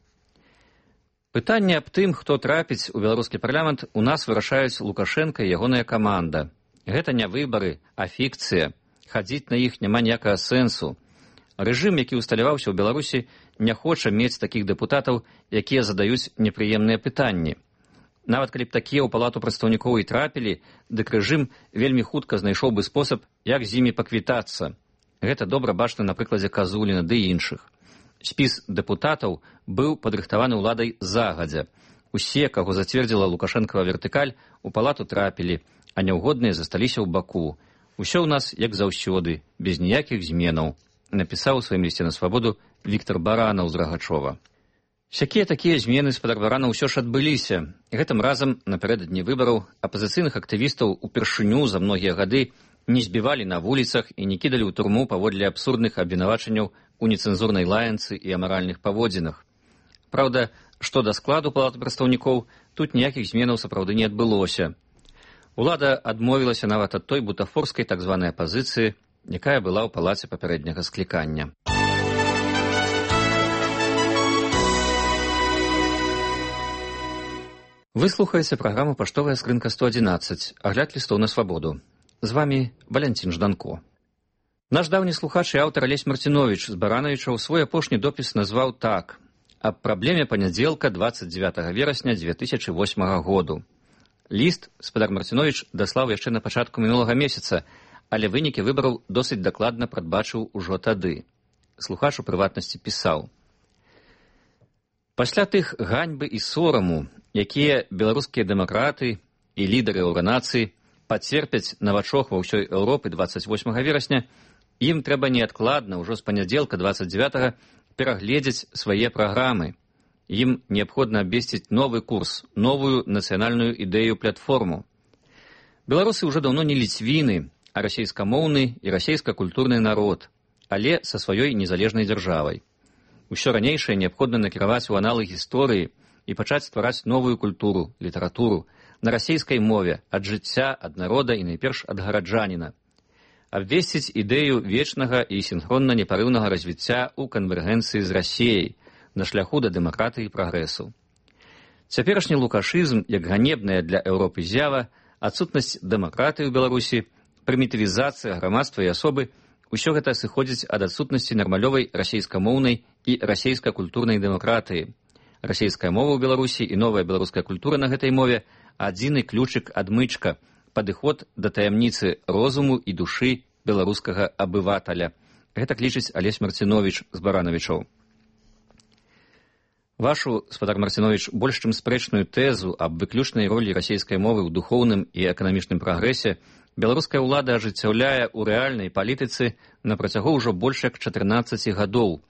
Пытанне аб тым, хто трапіць у беларускі парламент, у нас вырашаюць Лукашенка і ягоная каманда. Гэта не выбары, а фікцыя. Хадзіць на іх няма ніякага сэнсу. Рэжым, які усталяваўся ў Беларусі, не хоча мець такіх дэпутатаў, якія задаюць непрыемныя пытанні. Нават калі б такія ў палату прадстаўнікоў і трапілі, дык рэжым вельмі хутка знайшоў бы спосаб, як з імі паквітацца. Гэта добра бачна на прыкладзе Казуліна ды іншых. Спіс дэпутатаў быў падрыхтаваны ўладай загадзя. Усе, каго зацвердзіла Лукашэнкава вертыкаль, у палату трапілі, а няўгодныя засталіся ў баку. Усё ў нас, як заўсёды, без ніякіх зменаў, напісаў у сваім лісце на свабоду Віктор Баранаў з Рагачова. Сякія такія змены з-пад Барана ўсё ж адбыліся. Гэтым разам, напярэдадні выбараў, апазіцыйных актывістаў упершыню за многія гады не збівалі на вуліцах і не кідалі ў турму паводле абсурдных абвінавачанняў у нецэнзурнай лаянцы і амаральных паводзінах. Праўда, што да складу палаты прадстаўнікоў, тут ніякіх зменаў сапраўды не адбылося. Улада адмовілася нават ад той бутафорскай так званай апазіцыі, якая была ў палаце папярэдняга склікання. Вы слухаеце праграму «Паштовая скрынка сто адзінаццаць», агляд лістоў на свабоду. З вамі Валянцін Жданко. Наш даўні слухач і аўтар Алесь Марціновіч з Баранавічаў свой апошні допіс назваў так: «Аб праблеме панядзелка дваццаць дзевятага верасня дзве тысячы восьмага году». Ліст спадар Марціновіч даслаў яшчэ на пачатку мінулага месяца, але вынікі выбараў досыць дакладна прадбачыў ужо тады. Слухач у прыватнасці пісаў: «Пасля тых ганьбы і сораму, якія беларускія дэмакраты і лідары арганізацыі пацерпяць на вачох ва ўсёй Еўропы дваццаць восьмага верасня, ім трэба неадкладна ўжо з панядзелка дваццаць дзевятага перагледзець свае праграмы. Ім неабходна абвесціць новы курс, новую нацыянальную ідэю-платформу. Беларусы ўжо даўно не ліцвіны, а расейскамоўны і расейска-культурны народ, але са сваёй незалежнай дзяржавай. Усё ранейшае неабходна накіраваць у аналы гісторыі і пачаць ствараць новую культуру, літаратуру на расейскай мове, ад жыцця, ад народа і найперш ад гараджаніна. Абвесціць ідэю вечнага і сінхронна непарыўнага развіцця ў канвергенцыі з Расіяй на шляху да дэмакратыі і прагрэсу. Цяперашні лукашызм, як ганебная для Еўропы з'ява, адсутнасць дэмакратыі ў Беларусі, прымітывізацыя грамадства і асобы, усё гэта сыходзіць ад адсутнасці нармалёвай расейскамоўнай і расейска-культурнай дэмакратыі. Расейская мова ў Беларусі і новая беларуская культура на гэтай мове адзіны ключык адмычка, падыход да таямніцы розуму і душы беларускага абываталя. Гэта лічыць Алесь Марціновіч з Баранавічаў. Вашу, спадар Марціновіч, больш чым спрэчную тэзу аб выключнай ролі расейскай мовы ў духоўным і эканамічным прагрэсе беларуская ўлада ажыццяўляе ў рэальнай палітыцы на працягу ўжо больш як чатырнаццаці гадоў.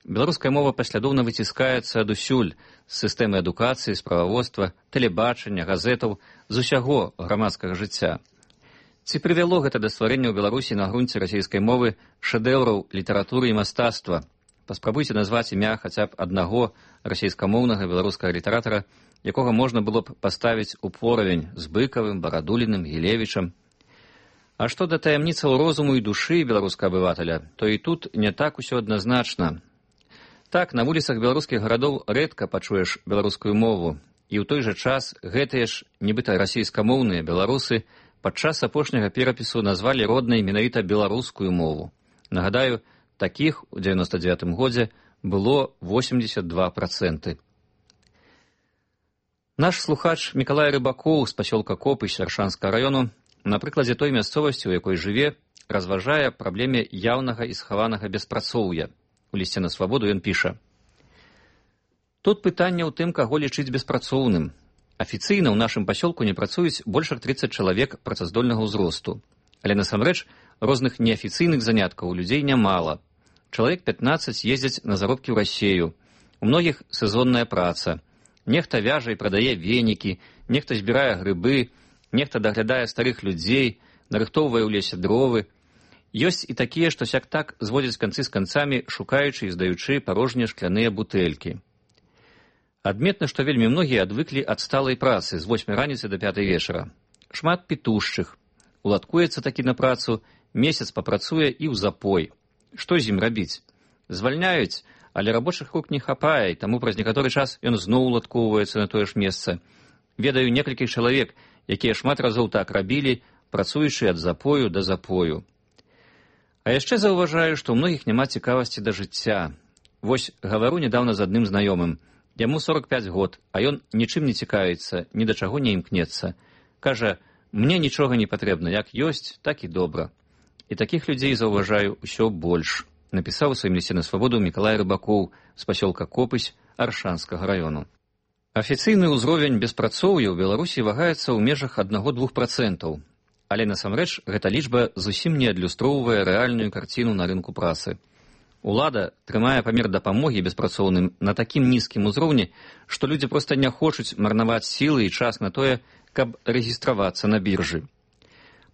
Беларуская мова паслядоўна выціскаецца адусюль з сістэмы адукацыі, справаводства, тэлебачання, газетаў, з усяго грамадскага жыцця. Ці прывяло гэта да стварэння ў Беларусі на грунце расейскай мовы шэдэўраў літаратуры і мастацтва? Паспрабуйце назваць імя хаця б аднаго расейскамоўнага беларускага літаратара, якога можна было б паставіць у поравень з Быкавым, Барадуліным, Гілевічам. А што да таямніцаў розуму і душы беларускага абываталя, то і тут не так усё адназначна. Так, на вуліцах беларускіх гарадоў рэдка пачуеш беларускую мову, і ў той жа час гэтыя ж, нібыта расійскамоўныя беларусы падчас апошняга перапісу назвалі роднай менавіта беларускую мову. Нагадаю, такіх у дзевяноста дзевятым годзе было восемьдесят два проценты. Наш слухач Мікалай Рыбакоў з пасёлка Копы Сяршанскага раёну на прыкладзе той мясцовасці, у якой жыве, разважае праблеме яўнага і схаванага беспрацоўя. У лісце на свабоду ён піша: «Тут пытанне ў тым, каго лічыць беспрацоўным. Афіцыйна ў нашым пасёлку не працуюць больш як трыццаць чалавек працаздольнага ўзросту. Але насамрэч розных неафіцыйных заняткаў у людзей нямала. Чалавек пятнаццаць ездзяць на заробкі ў Расею. У многіх сезонная праца. Нехта вяжа і прадае венікі, нехта збірае грыбы, нехта даглядае старых людзей, нарыхтоўвае ў лесе дровы. Ёсць і такія, што сяк так зводзяць канцы з канцамі, шукаючы і здаючы парожнія шкляныя бутэлькі. Адметна, што вельмі многія адвыклі ад сталай працы з восьмай раніцы да пятай вечара. Шмат пітушчых. Уладкуецца такі на працу, месяц папрацуе і ў запой. Што з ім рабіць? Звальняюць, Але рабочых рук не хапае, таму праз некаторы час ён зноў уладкоўваецца на тое ж месца. Ведаю некалькіх чалавек, якія шмат разоў так рабілі, працуючы ад запою да запою. А яшчэ заўважаю, што ў многіх няма цікавасці да жыцця. Вось гавару нядаўна з адным знаёмым. Яму сорок пяць год, а ён нічым не цікавіцца, ні да чаго не імкнецца. Кажа, мне нічога не патрэбна, як ёсць, так і добра. І такіх людзей заўважаю ўсё больш. Напісаў у сваім лісце на свабоду Мікалай Рыбакоў з пасёлка Копысь Аршанскага раёну. Афіцыйны ўзровень беспрацоўя ў Беларусі вагаецца ў межах аднаго-двух працэнтаў. Але насамрэч гэта лічба зусім не адлюстроўвае рэальную карціну на рынку працы. Улада трымае памер дапамогі беспрацоўным на такім нізкім узроўні, што людзі проста не хочуць марнаваць сілы і час на тое, каб рэгістравацца на біржы.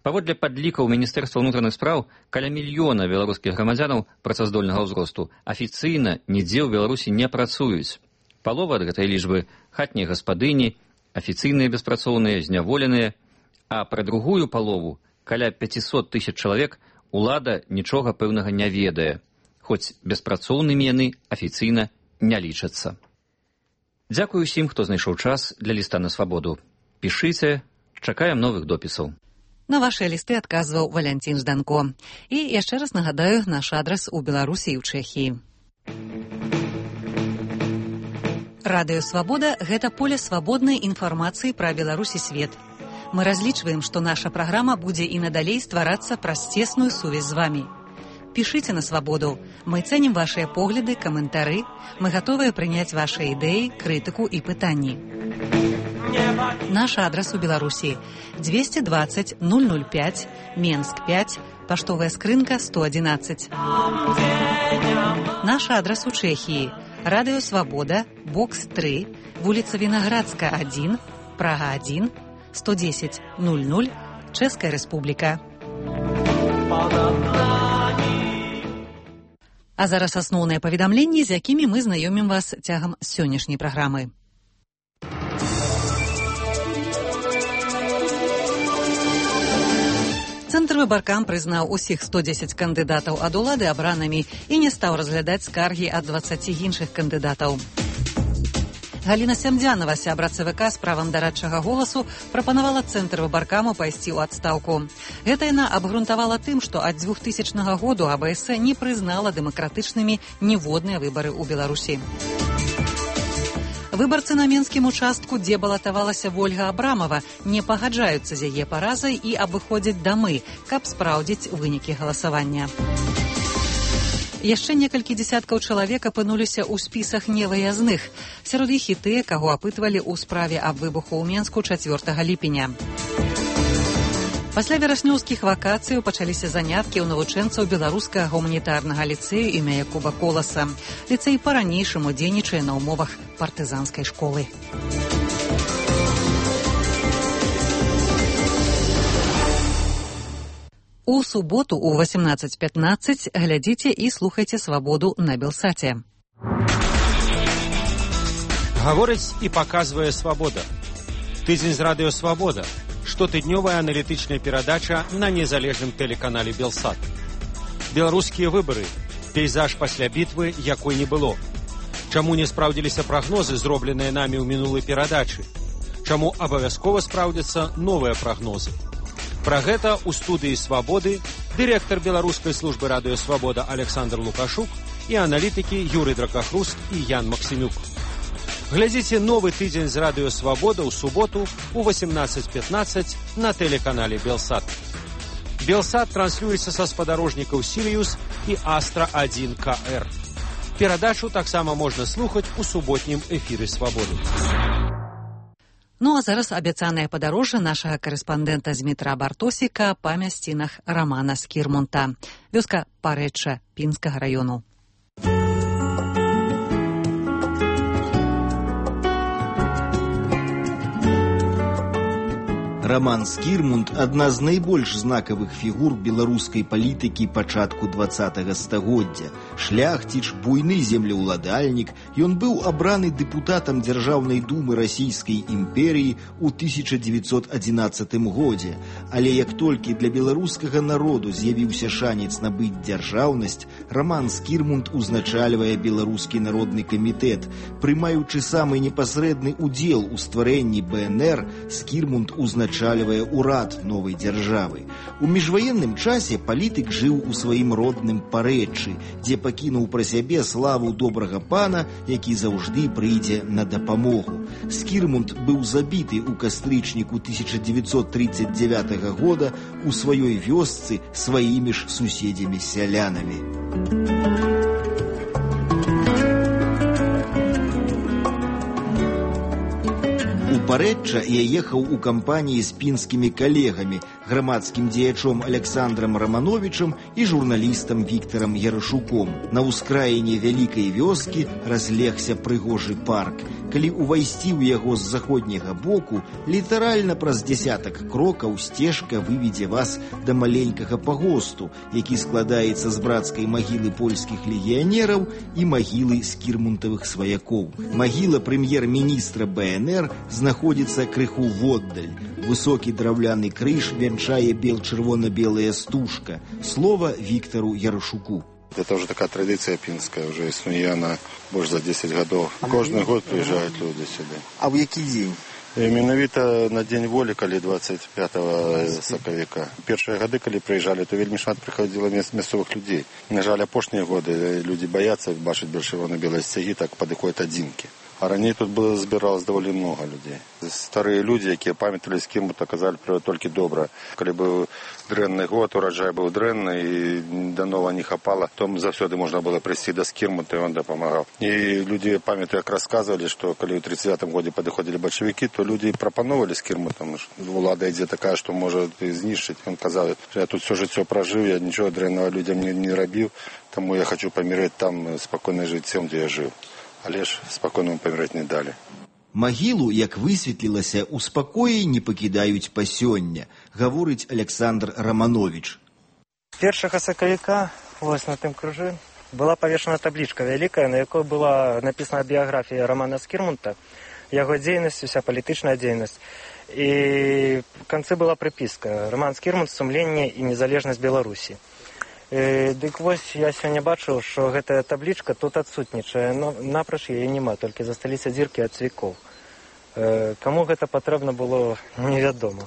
Паводле падлікаў Міністэрства ўнутраных спраў, каля мільёна беларускіх грамадзянаў працаздольнага ўзросту афіцыйна нідзе ў Беларусі не працуюць. Палова ад гэтай лічбы хатнія гаспадыні, афіцыйныя беспрацоўныя, зняволеныя, а пра другую палову, каля пяцісот тысяч чалавек, улада нічога пэўнага не ведае, хоць беспрацоўнымі яны афіцыйна не лічацца. Дзякую усім, хто знайшоў час для ліста на свабоду. Пішыце, чакаем новых допісаў. На вашыя лісты адказваў Валянцін Жданко. І яшчэ раз нагадаю наш адрас у Беларусі і ў Чэхіі. Радыё Свабода – гэта поле свабоднай інфармацыі пра Беларусь і свет. Мы разлічваем, што наша праграма будзе і надалей стварацца праз цесную сувязь з вамі. Пішыце на свабоду. Мы цэнім вашыя погляды, каментары. Мы гатовыя прыняць вашыя ідэі, крытыку і пытанні. Наш адрас у Беларусі – двести двадцать ноль ноль пять, Менск пять, паштовая скрынка сто одиннадцать. Наш адрас у Чэхіі – Радыё Свабода, бокс три, вуліца Вінаградска один, Прага один, сто десять ноль ноль, Чэшская Рэспубліка. А зараз асноўныя паведамленні, з якімі мы знаёмім вас цягам сённяшняй праграмы. Цэнтр выбаркам прызнаў усіх сто дзесяць кандыдатаў ад улады абранымі і не стаў разглядаць скаргі ад дваццаці іншых кандыдатаў. Галіна Сямдзянова, сябра ЦВК з правам дарадчага голасу, прапанавала Цэнтр выбаркаму пайсці ў адстаўку. Гэта яна абгрунтавала тым, што ад двухтысячнага году АБС не прызнала дэмакратычнымі ніводныя выбары ў Беларусі. Выбарцы на менскім участку, дзе балатавалася Вольга Абрамова, не пагаджаюцца з яе паразай і абыходзяць дамы, каб спраўдзіць вынікі галасавання. Яшчэ некалькі дзесяткаў чалавек апынуліся ў спісах невыязных. Сярод іх і тыя, каго апытвалі ў справе аб выбуху ў Менску чацвёртага ліпеня. Пасля вераснёўскіх вакацыяў пачаліся заняткі ў навучэнцаў беларускага гуманітарнага ліцэю імя Якуба Коласа. Ліцэй па-ранейшаму дзейнічае на ўмовах партызанскай школы. У суботу ў восемнадцать пятнадцать глядзіце і слухайце «Свабоду» на Белсаце. Гаворыць і паказвае «Свабода». Тыдзень з радыё «Свабода». Штотыднёвая аналітычная перадача на незалежным тэлеканале «Белсат». Беларускія выбары. Пейзаж пасля бітвы, якой не было. Чаму не спраўдзіліся прагнозы, зробленыя намі ў мінулай перадачы? Чаму абавязкова спраўдзяцца новыя прагнозы? Пра гэта ў студыі «Свабоды» дырэктар беларускай службы радыё «Свабода» Александр Лукашук і аналітыкі Юрый Дракахруст і Ян Максімюк. Глядзіце новы тыдзень з радыё «Свабода» ў суботу ў восемнадцать пятнадцать на тэлеканале «Белсат». «Белсат» транслюецца са спадарожнікаў «Сіриус» і «Астра один К Р». Перадачу таксама можна слухаць у суботнім эфіры «Свабоды». Ну а зараз абяцанае падарожжа нашага карэспандэнта з метра Бартосіка па мясцінах Рамана Скірмунта. Вёска Парэчча Пінскага раёну. Роман Скірмунд – адна з найбольш знакавых фігур беларускай палітыкі пачатку двадцатага стагоддзя. Шляхціч, буйны землеўладальнік, ён быў абраны дэпутатам Дзяржаўнай думы Расійскай імперіі ў тысяча дзевяцьсот адзінаццатым годзе. Але як толькі для беларускага народу з'явіўся шанец набыць дзяржаўнасць, Роман Скірмунд узначальвае Беларускі народны камітэт. Прымаючы самы непасрэдны удзел у стварэнні бэ эн эр, Скірмунд узначальвае урад новай дзяржавы. У міжваенным часе палітык жыў у сваім родным Парэччы, дзе пакінуў пра сябе славу добрага пана, які заўжды прыйдзе на дапамогу. Скірмунд быў забіты ў кастрычніку тысяча дзевяцьсот тридцать девятага года у сваёй вёсцы сваімі ж суседзямі-сялянамі. Парэчча я ехаў у кампаніі з пінскімі калегамі, грамадскім дзеячом Александрам Рамановичам і журналістам Віктарам Ярашуком. На ўскраіне вялікай вёскі разлегся прыгожы парк. Калі ўвайсці ў яго з заходняга боку, літаральна праз дзясятак крокаў сцежка выведзе вас да маленькага пагосту, які складаецца з брацкай магілы польскіх легіянераў і магілы скірмунтавых сваякоў. Магіла прэм'ер-міністра бэ эн эр знаходзіцца крыху воддаль. Высокі драўляны крыж вянчае бел-чырвона-белая стужка. Слова Віктару Ярашуку. Это уже такая традиция пинская, уже існуе она больше за десять годов. Каждый год приезжают люди сюда. А в які дзень? Менавіта на Дзень волі, калі двадцать пятого сакавіка. Першыя гады, калі прыязджалі, то вельмі шмат прыходзіла мясцовых людзей. На жаль, апошнія годы людзі баяцца бачыць чырвона-белыя сцягі, так падыходзяць адзінкі. А раней тут было збіралось даволі много людзей. Старыя людзі, якія памяталі Скірмунта, казалі пра толькі добра. Калі быў дрэнны год, ураджай быў дрэнны і да нова не хапала, то заўсёды можна было прыйсці да Скірмунта, і он дапамагаў. І людзі памятаю, як расказвалі, што калі ў тридцать девятым годзе падыходзілі бальшавікі, то людзі прапановалі Скірмунтам. Улада ідзе такая, што можа знішчыць. Ён казаў, што я тут все жыццё пражыў, я нічого дрэннага людзям не, не рабіў, таму я хочу памірэць там спакойна жыццём, дзе я жыў. Але ж спакойна паміраць не далі. Магілу, як высветлілася, у спакоі не пакідаюць па сёння, гаворыць Александр Раманович. Першага сакавіка, вось на тым крыжы, была павешана таблічка вялікая, на якой была напісана біяграфія Романа Скірмунта, яго дзейнасць, уся палітычная дзейнасць. І в канцы была прыпіска «Роман Скірмунт. Сумленне і незалежнасць Беларусі». Дык вось я сёння бачыў, што гэтая таблічка тут адсутнічае, но напроч яе няма, толькі засталіся дзіркі ад цвікоў. Каму гэта патрэбна было, невядома.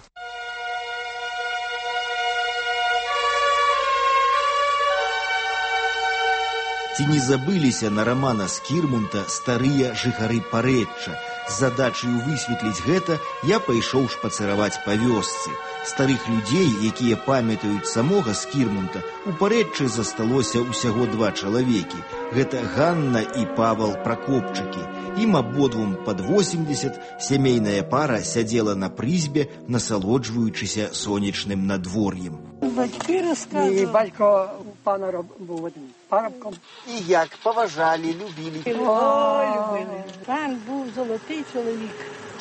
Ці не забыліся на Романа Скірмунта старыя жыхары Парэчча? З задачаю высветліць гэта я пайшоў шпацыраваць па вёсцы. Старых людзей, якія памятаюць самога Скірмунта, у Парэччы засталося ўсяго два чалавекі. Гэта Ганна і Павал Пракопчыкі. Ім абодвум пад восемьдесят, сямейная пара сядзела на прызбе, насалоджваючыся сонечным надвор'ем. Батьки розказували. І батько пана був одним парубком. І як поважали, любили. Ой, любили. Пан був золотий чоловік.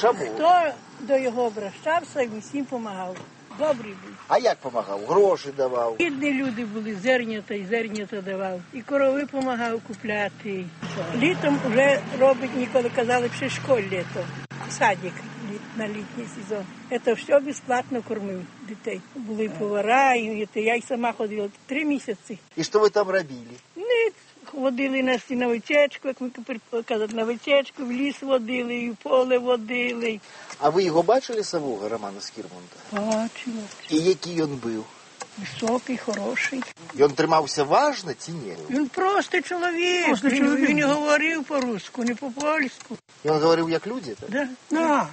Чому? Хто до його обращався, усім допомагав. Добрий був. А як допомагав? Гроші давав? Бідні люди були, зернята і зернята давав. І корови допомагав купляти. Літом вже робить, ніколи казали, що школь літо. Садик на літній сезон. Це все безплатно кормив дітей. Були повара, і я й сама ходила три місяці. І що ви там робили? Ні, водили нас і на вечечку, як ми казали, на вечечку, в ліс водили, і в поле водили. А ви його бачили самого, Романа Скірмунта? Бачила. І який він був? Високий, хороший. Він тримався важно чи ні? Він простий чоловік. Просто він, чоловік. Він говорив по-русски, не по-польську. Він говорив як люди? Так? Да. Да.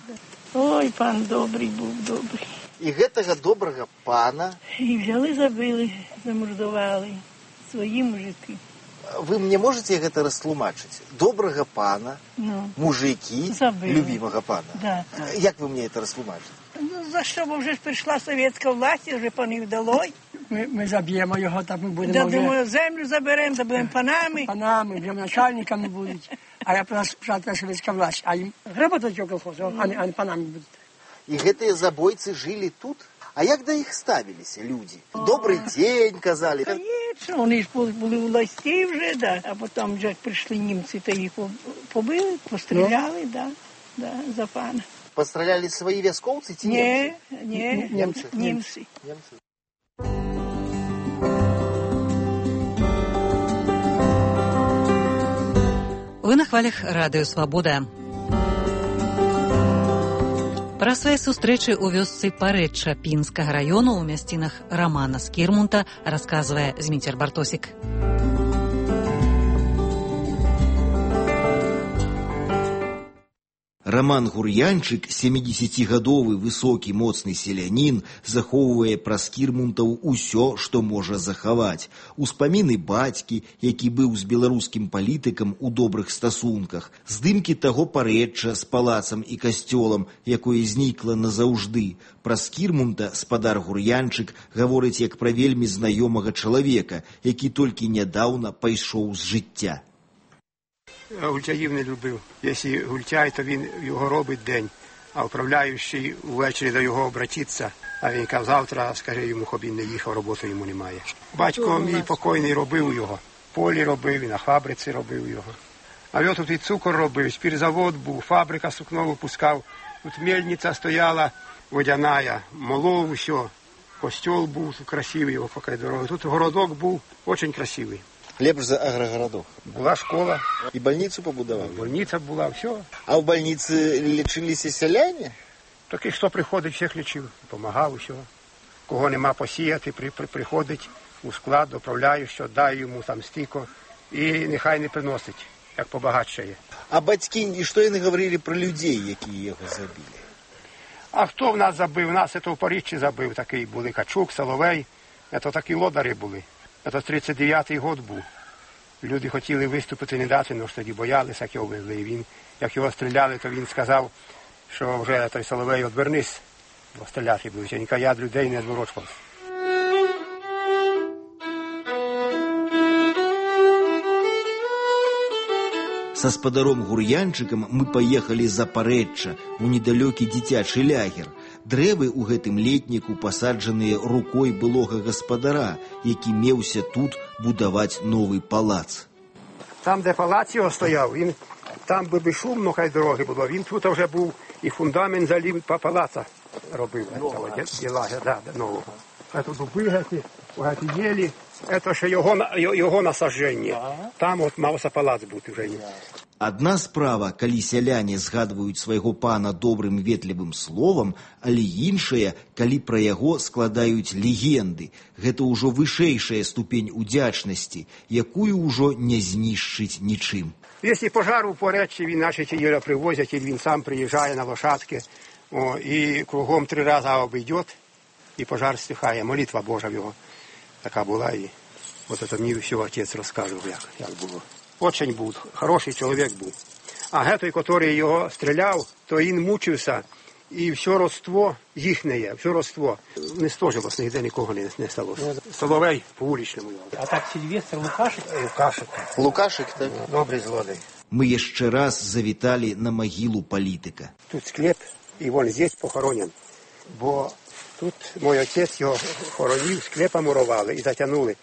Ой, пан добрий був, добрий. І гэтага добрага пана? І взяли, забили, замордували свої мужики. Вы мне можете гэта растлумачыць? Добрага пана, ну, мужики, забили. Любимого пана. Да. Як вы мне это растлумачите? Ну, за що, бо вже ж прийшла совєтська власть, вже панів дало. Ми, ми заб'ємо його, так ми будемо да, вже... Думаю, землю заберемо, забудемо панами. Панами, вже начальниками будуть. А я про нас спочатку совєтська власть, а їм гработать його колхозу, а не, а не панами будуть. І гэтыя забойцы жылі тут? А як да іх ставіліся людзі? Добрый дзень, казалі. Конечно, вони ж були у властей вже, да. А потім вже прийшли німці, то їх побили, постріляли, да, да, за пана. Постріляли свої військовці ці німці? Ні, ні, німці. Німці. Німці. Вы на хвалях радыё «Свабода». Пра свае сустрэчы ў вёсцы Парэчча Пінскага раёну ў мясцінах Рамана Скірмунта расказвае Зміцер Бартосік. Раман Гур'янчык, сямідзесяцігадовы высокі моцны селянін, захоўвае пра скірмунтаў усё, што можа захаваць. Успаміны бацькі, які быў з беларускім палітыкам у добрых стасунках, здымкі таго Парэчча з палацам і касцёлам, якое знікла назаўжды. Пра скірмунта спадар Гур'янчык гаворыць як пра вельмі знаёмага чалавека, які толькі нядаўна пайшоў з жыцця. Гультяїв не любив. Якщо гультяй, то він його робить день, а управляючий увечері до його обратиться, а він каже, завтра, скажи йому, щоб він не їхав, роботи йому немає. Батько мій покойний робив його, в полі робив, і на фабриці робив його. А я тут і цукор робив, спірзавод був, фабрика сукно випускав, тут мельниця стояла, водяная, молов, все, костюл був красивий, його поки дороги. Тут городок був, дуже красивий. Лепш за агрогородок. Була школа. І больницю побудував? Больниця була, все. А в больниці лічилися селяни? Так і хто приходить, всіх лічив, допомагав, все. Кого нема посіяти, при, при, приходить у склад, доправляє, що дай йому там стільки, і нехай не приносить, як побагатшає. А батьки, і що вони говорили про людей, які його забили? А хто в нас забив? Нас це в Парижчі забив, такий були Качук, Соловей, це такі лодари були. Це тридцять дев'ятий год був. Люди хотіли виступити, не дати, але ж тоді боялися, як його везли. І він, як його стріляли, то він сказав, що вже той Соловей відвернись, бо стріляти будуть. Я ніколи я людей не зворочувався. Са спадаром Гур'янчыкам мы паехалі за Парэчча, у недалёкі дзіцячы лягер. Дрэвы ў гэтым летніку пасаджаныя рукой былога гаспадара, які меўся тут будаваць новы палац. Там, де палац його стояв, він, там би шумно, хай дороги було, він тут вже був і фундамент залів по палаца робив. Нового. Лагер, да, нового. А тут дуби гаті, гаті єлі, це ще його, його насадження. Там от мався палац бути вже. Адна справа, калі сяляне згадваюць свайго пана добрым ветлівым словам, але іншая, калі пра яго складаюць легенды. Гэта ўжо вышэйшая ступень удзячнасці, якую ўжо не знішчыць нічым. Якщо пожар у Парэччі, він наші його привозять, і він сам приїжджає на лошадки, о, і кругом три рази обійде, і пожар стихає. Молитва Божа в його така була. І от це мені все отець розказував, як, як було. Очень був, хороший чоловік був. А гетой, який його стріляв, то він мучився, і все родство їхнє, все родство не стожилось, ніде нікого не, не сталося. Соловей по вуличному. А так Сильвестр Лукашик? Лукашик. Лукашик, так? Добрий злодей. Мы яшчэ раз завіталі на магілу палітыка. Тут склеп, і він здесь похоронен. Бо тут мій отець його хоронив, склепа мурували і затягнули.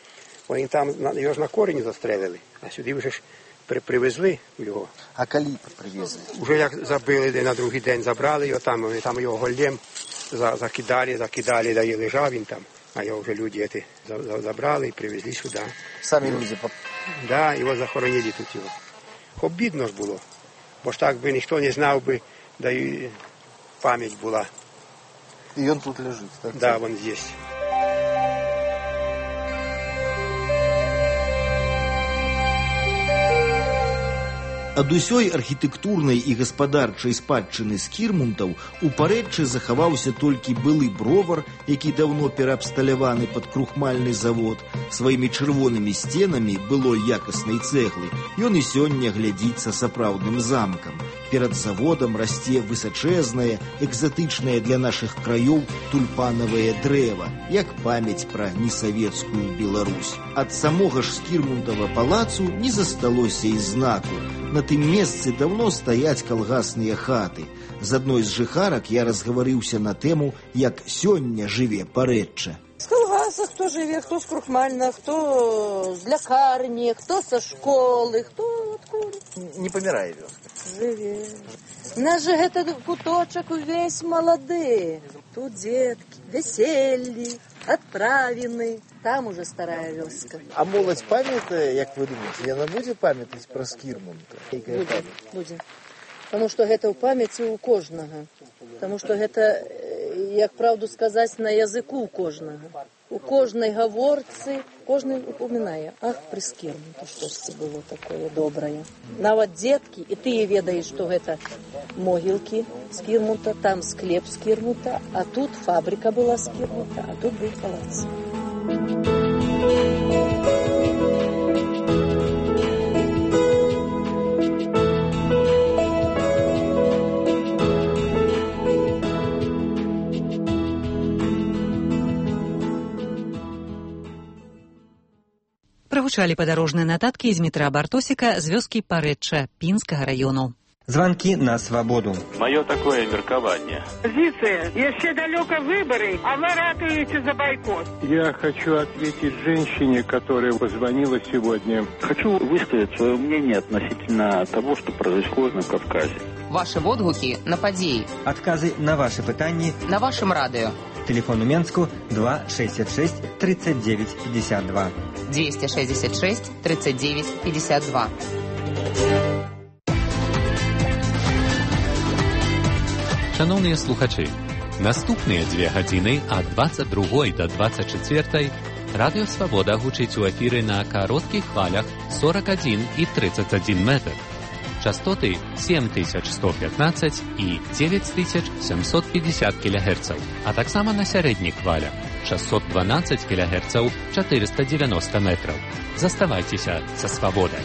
Вони там його ж на корінь застрелили, а сюди вже ж при, привезли його. А коли привезли? Уже як забили, на другий день забрали його, там, там його голем за, закидали, закидали, да і лежав він там. А його вже люди ці забрали і привезли сюди. Самі люди? Да, його захоронили тут його. Обідно ж було, бо ж так би ніхто не знав би, да і пам'ять була. І він тут лежить? Так, да, він здесь. Ад усёй архітэктурнай і гаспадарчай спадчыны скірмунтаў у Парэччы захаваўся толькі былы бровар, які даўно пераабсталяваны пад крухмальны завод. Сваімі чырвонымі сценамі былой якаснай цэглы ён і сёння глядзіць са сапраўдным замкам. Перад заводам расце высачэзнае, экзатычнае для нашых краёў тульпанавае дрэва, як памяць пра несавецкую Беларусь. Ад самога ж Скірмунтава палацу не засталося і знаку. На тым месцы даўно стаяць калгасныя хаты. З адной з жыхарак я разгаварыўся на тэму, як сёння жыве Парэчча. З калгаса хто жыве, хто з крухмальна, хто з лякарні, хто са школы, хто адкуль. Не памірае вёска. Жыве. Наш жа гэта куточак увесь малады. Тут дзеткі, вяселлі, адправіны. Там уже старая вёска. А моладзь памятае, як вы думаеце, яна будзе памятаць пра Скірмунта? Будзе, будзе. Таму што гэта ў памяці ў кожнага. Таму што гэта, як правду сказаць, на языку ў кожнага. У кожнай гаворцы, кожны упомінае, ах, пры Скірмунта штосьці было такое добрае. Нават дзеткі, і ты ведаеш, што гэта могілкі Скірмунта, там склеп Скірмунта, а тут фабрика была Скірмунта, а тут быў палац. Прагучалі падарожныя нататкі з метра Бартосіка з вёскі Парэчча Пінскага раёну. Звонки на свободу. Мое такое меркование. Позиция. Еще далеко выборы, а вы ратуете за бойкот. Я хочу ответить женщине, которая позвонила сегодня. Хочу высказать свое мнение относительно того, что происходит на Кавказе. Ваши водгуки на подеи. Отказы на ваши пытания. На вашем радио. Телефон у Менску два шестьдесят шесть тридцать девять пятьдесят два. двести шестьдесят шесть тридцать девять пятьдесят два. Шановні слухачі, наступні дві години ад двадцять другої до двадцять четвертої Радіо Свобода гучить у ефірі на коротких хвалях сорок один і тридцать один метр. Частоты семь тысяч сто пятнадцать и девять тысяч семьсот пятьдесят килогерцев, а так само на средних хвалях шестьсот двенадцать килогерцев четыреста девяносто метров. Заставайтесь со Свободой.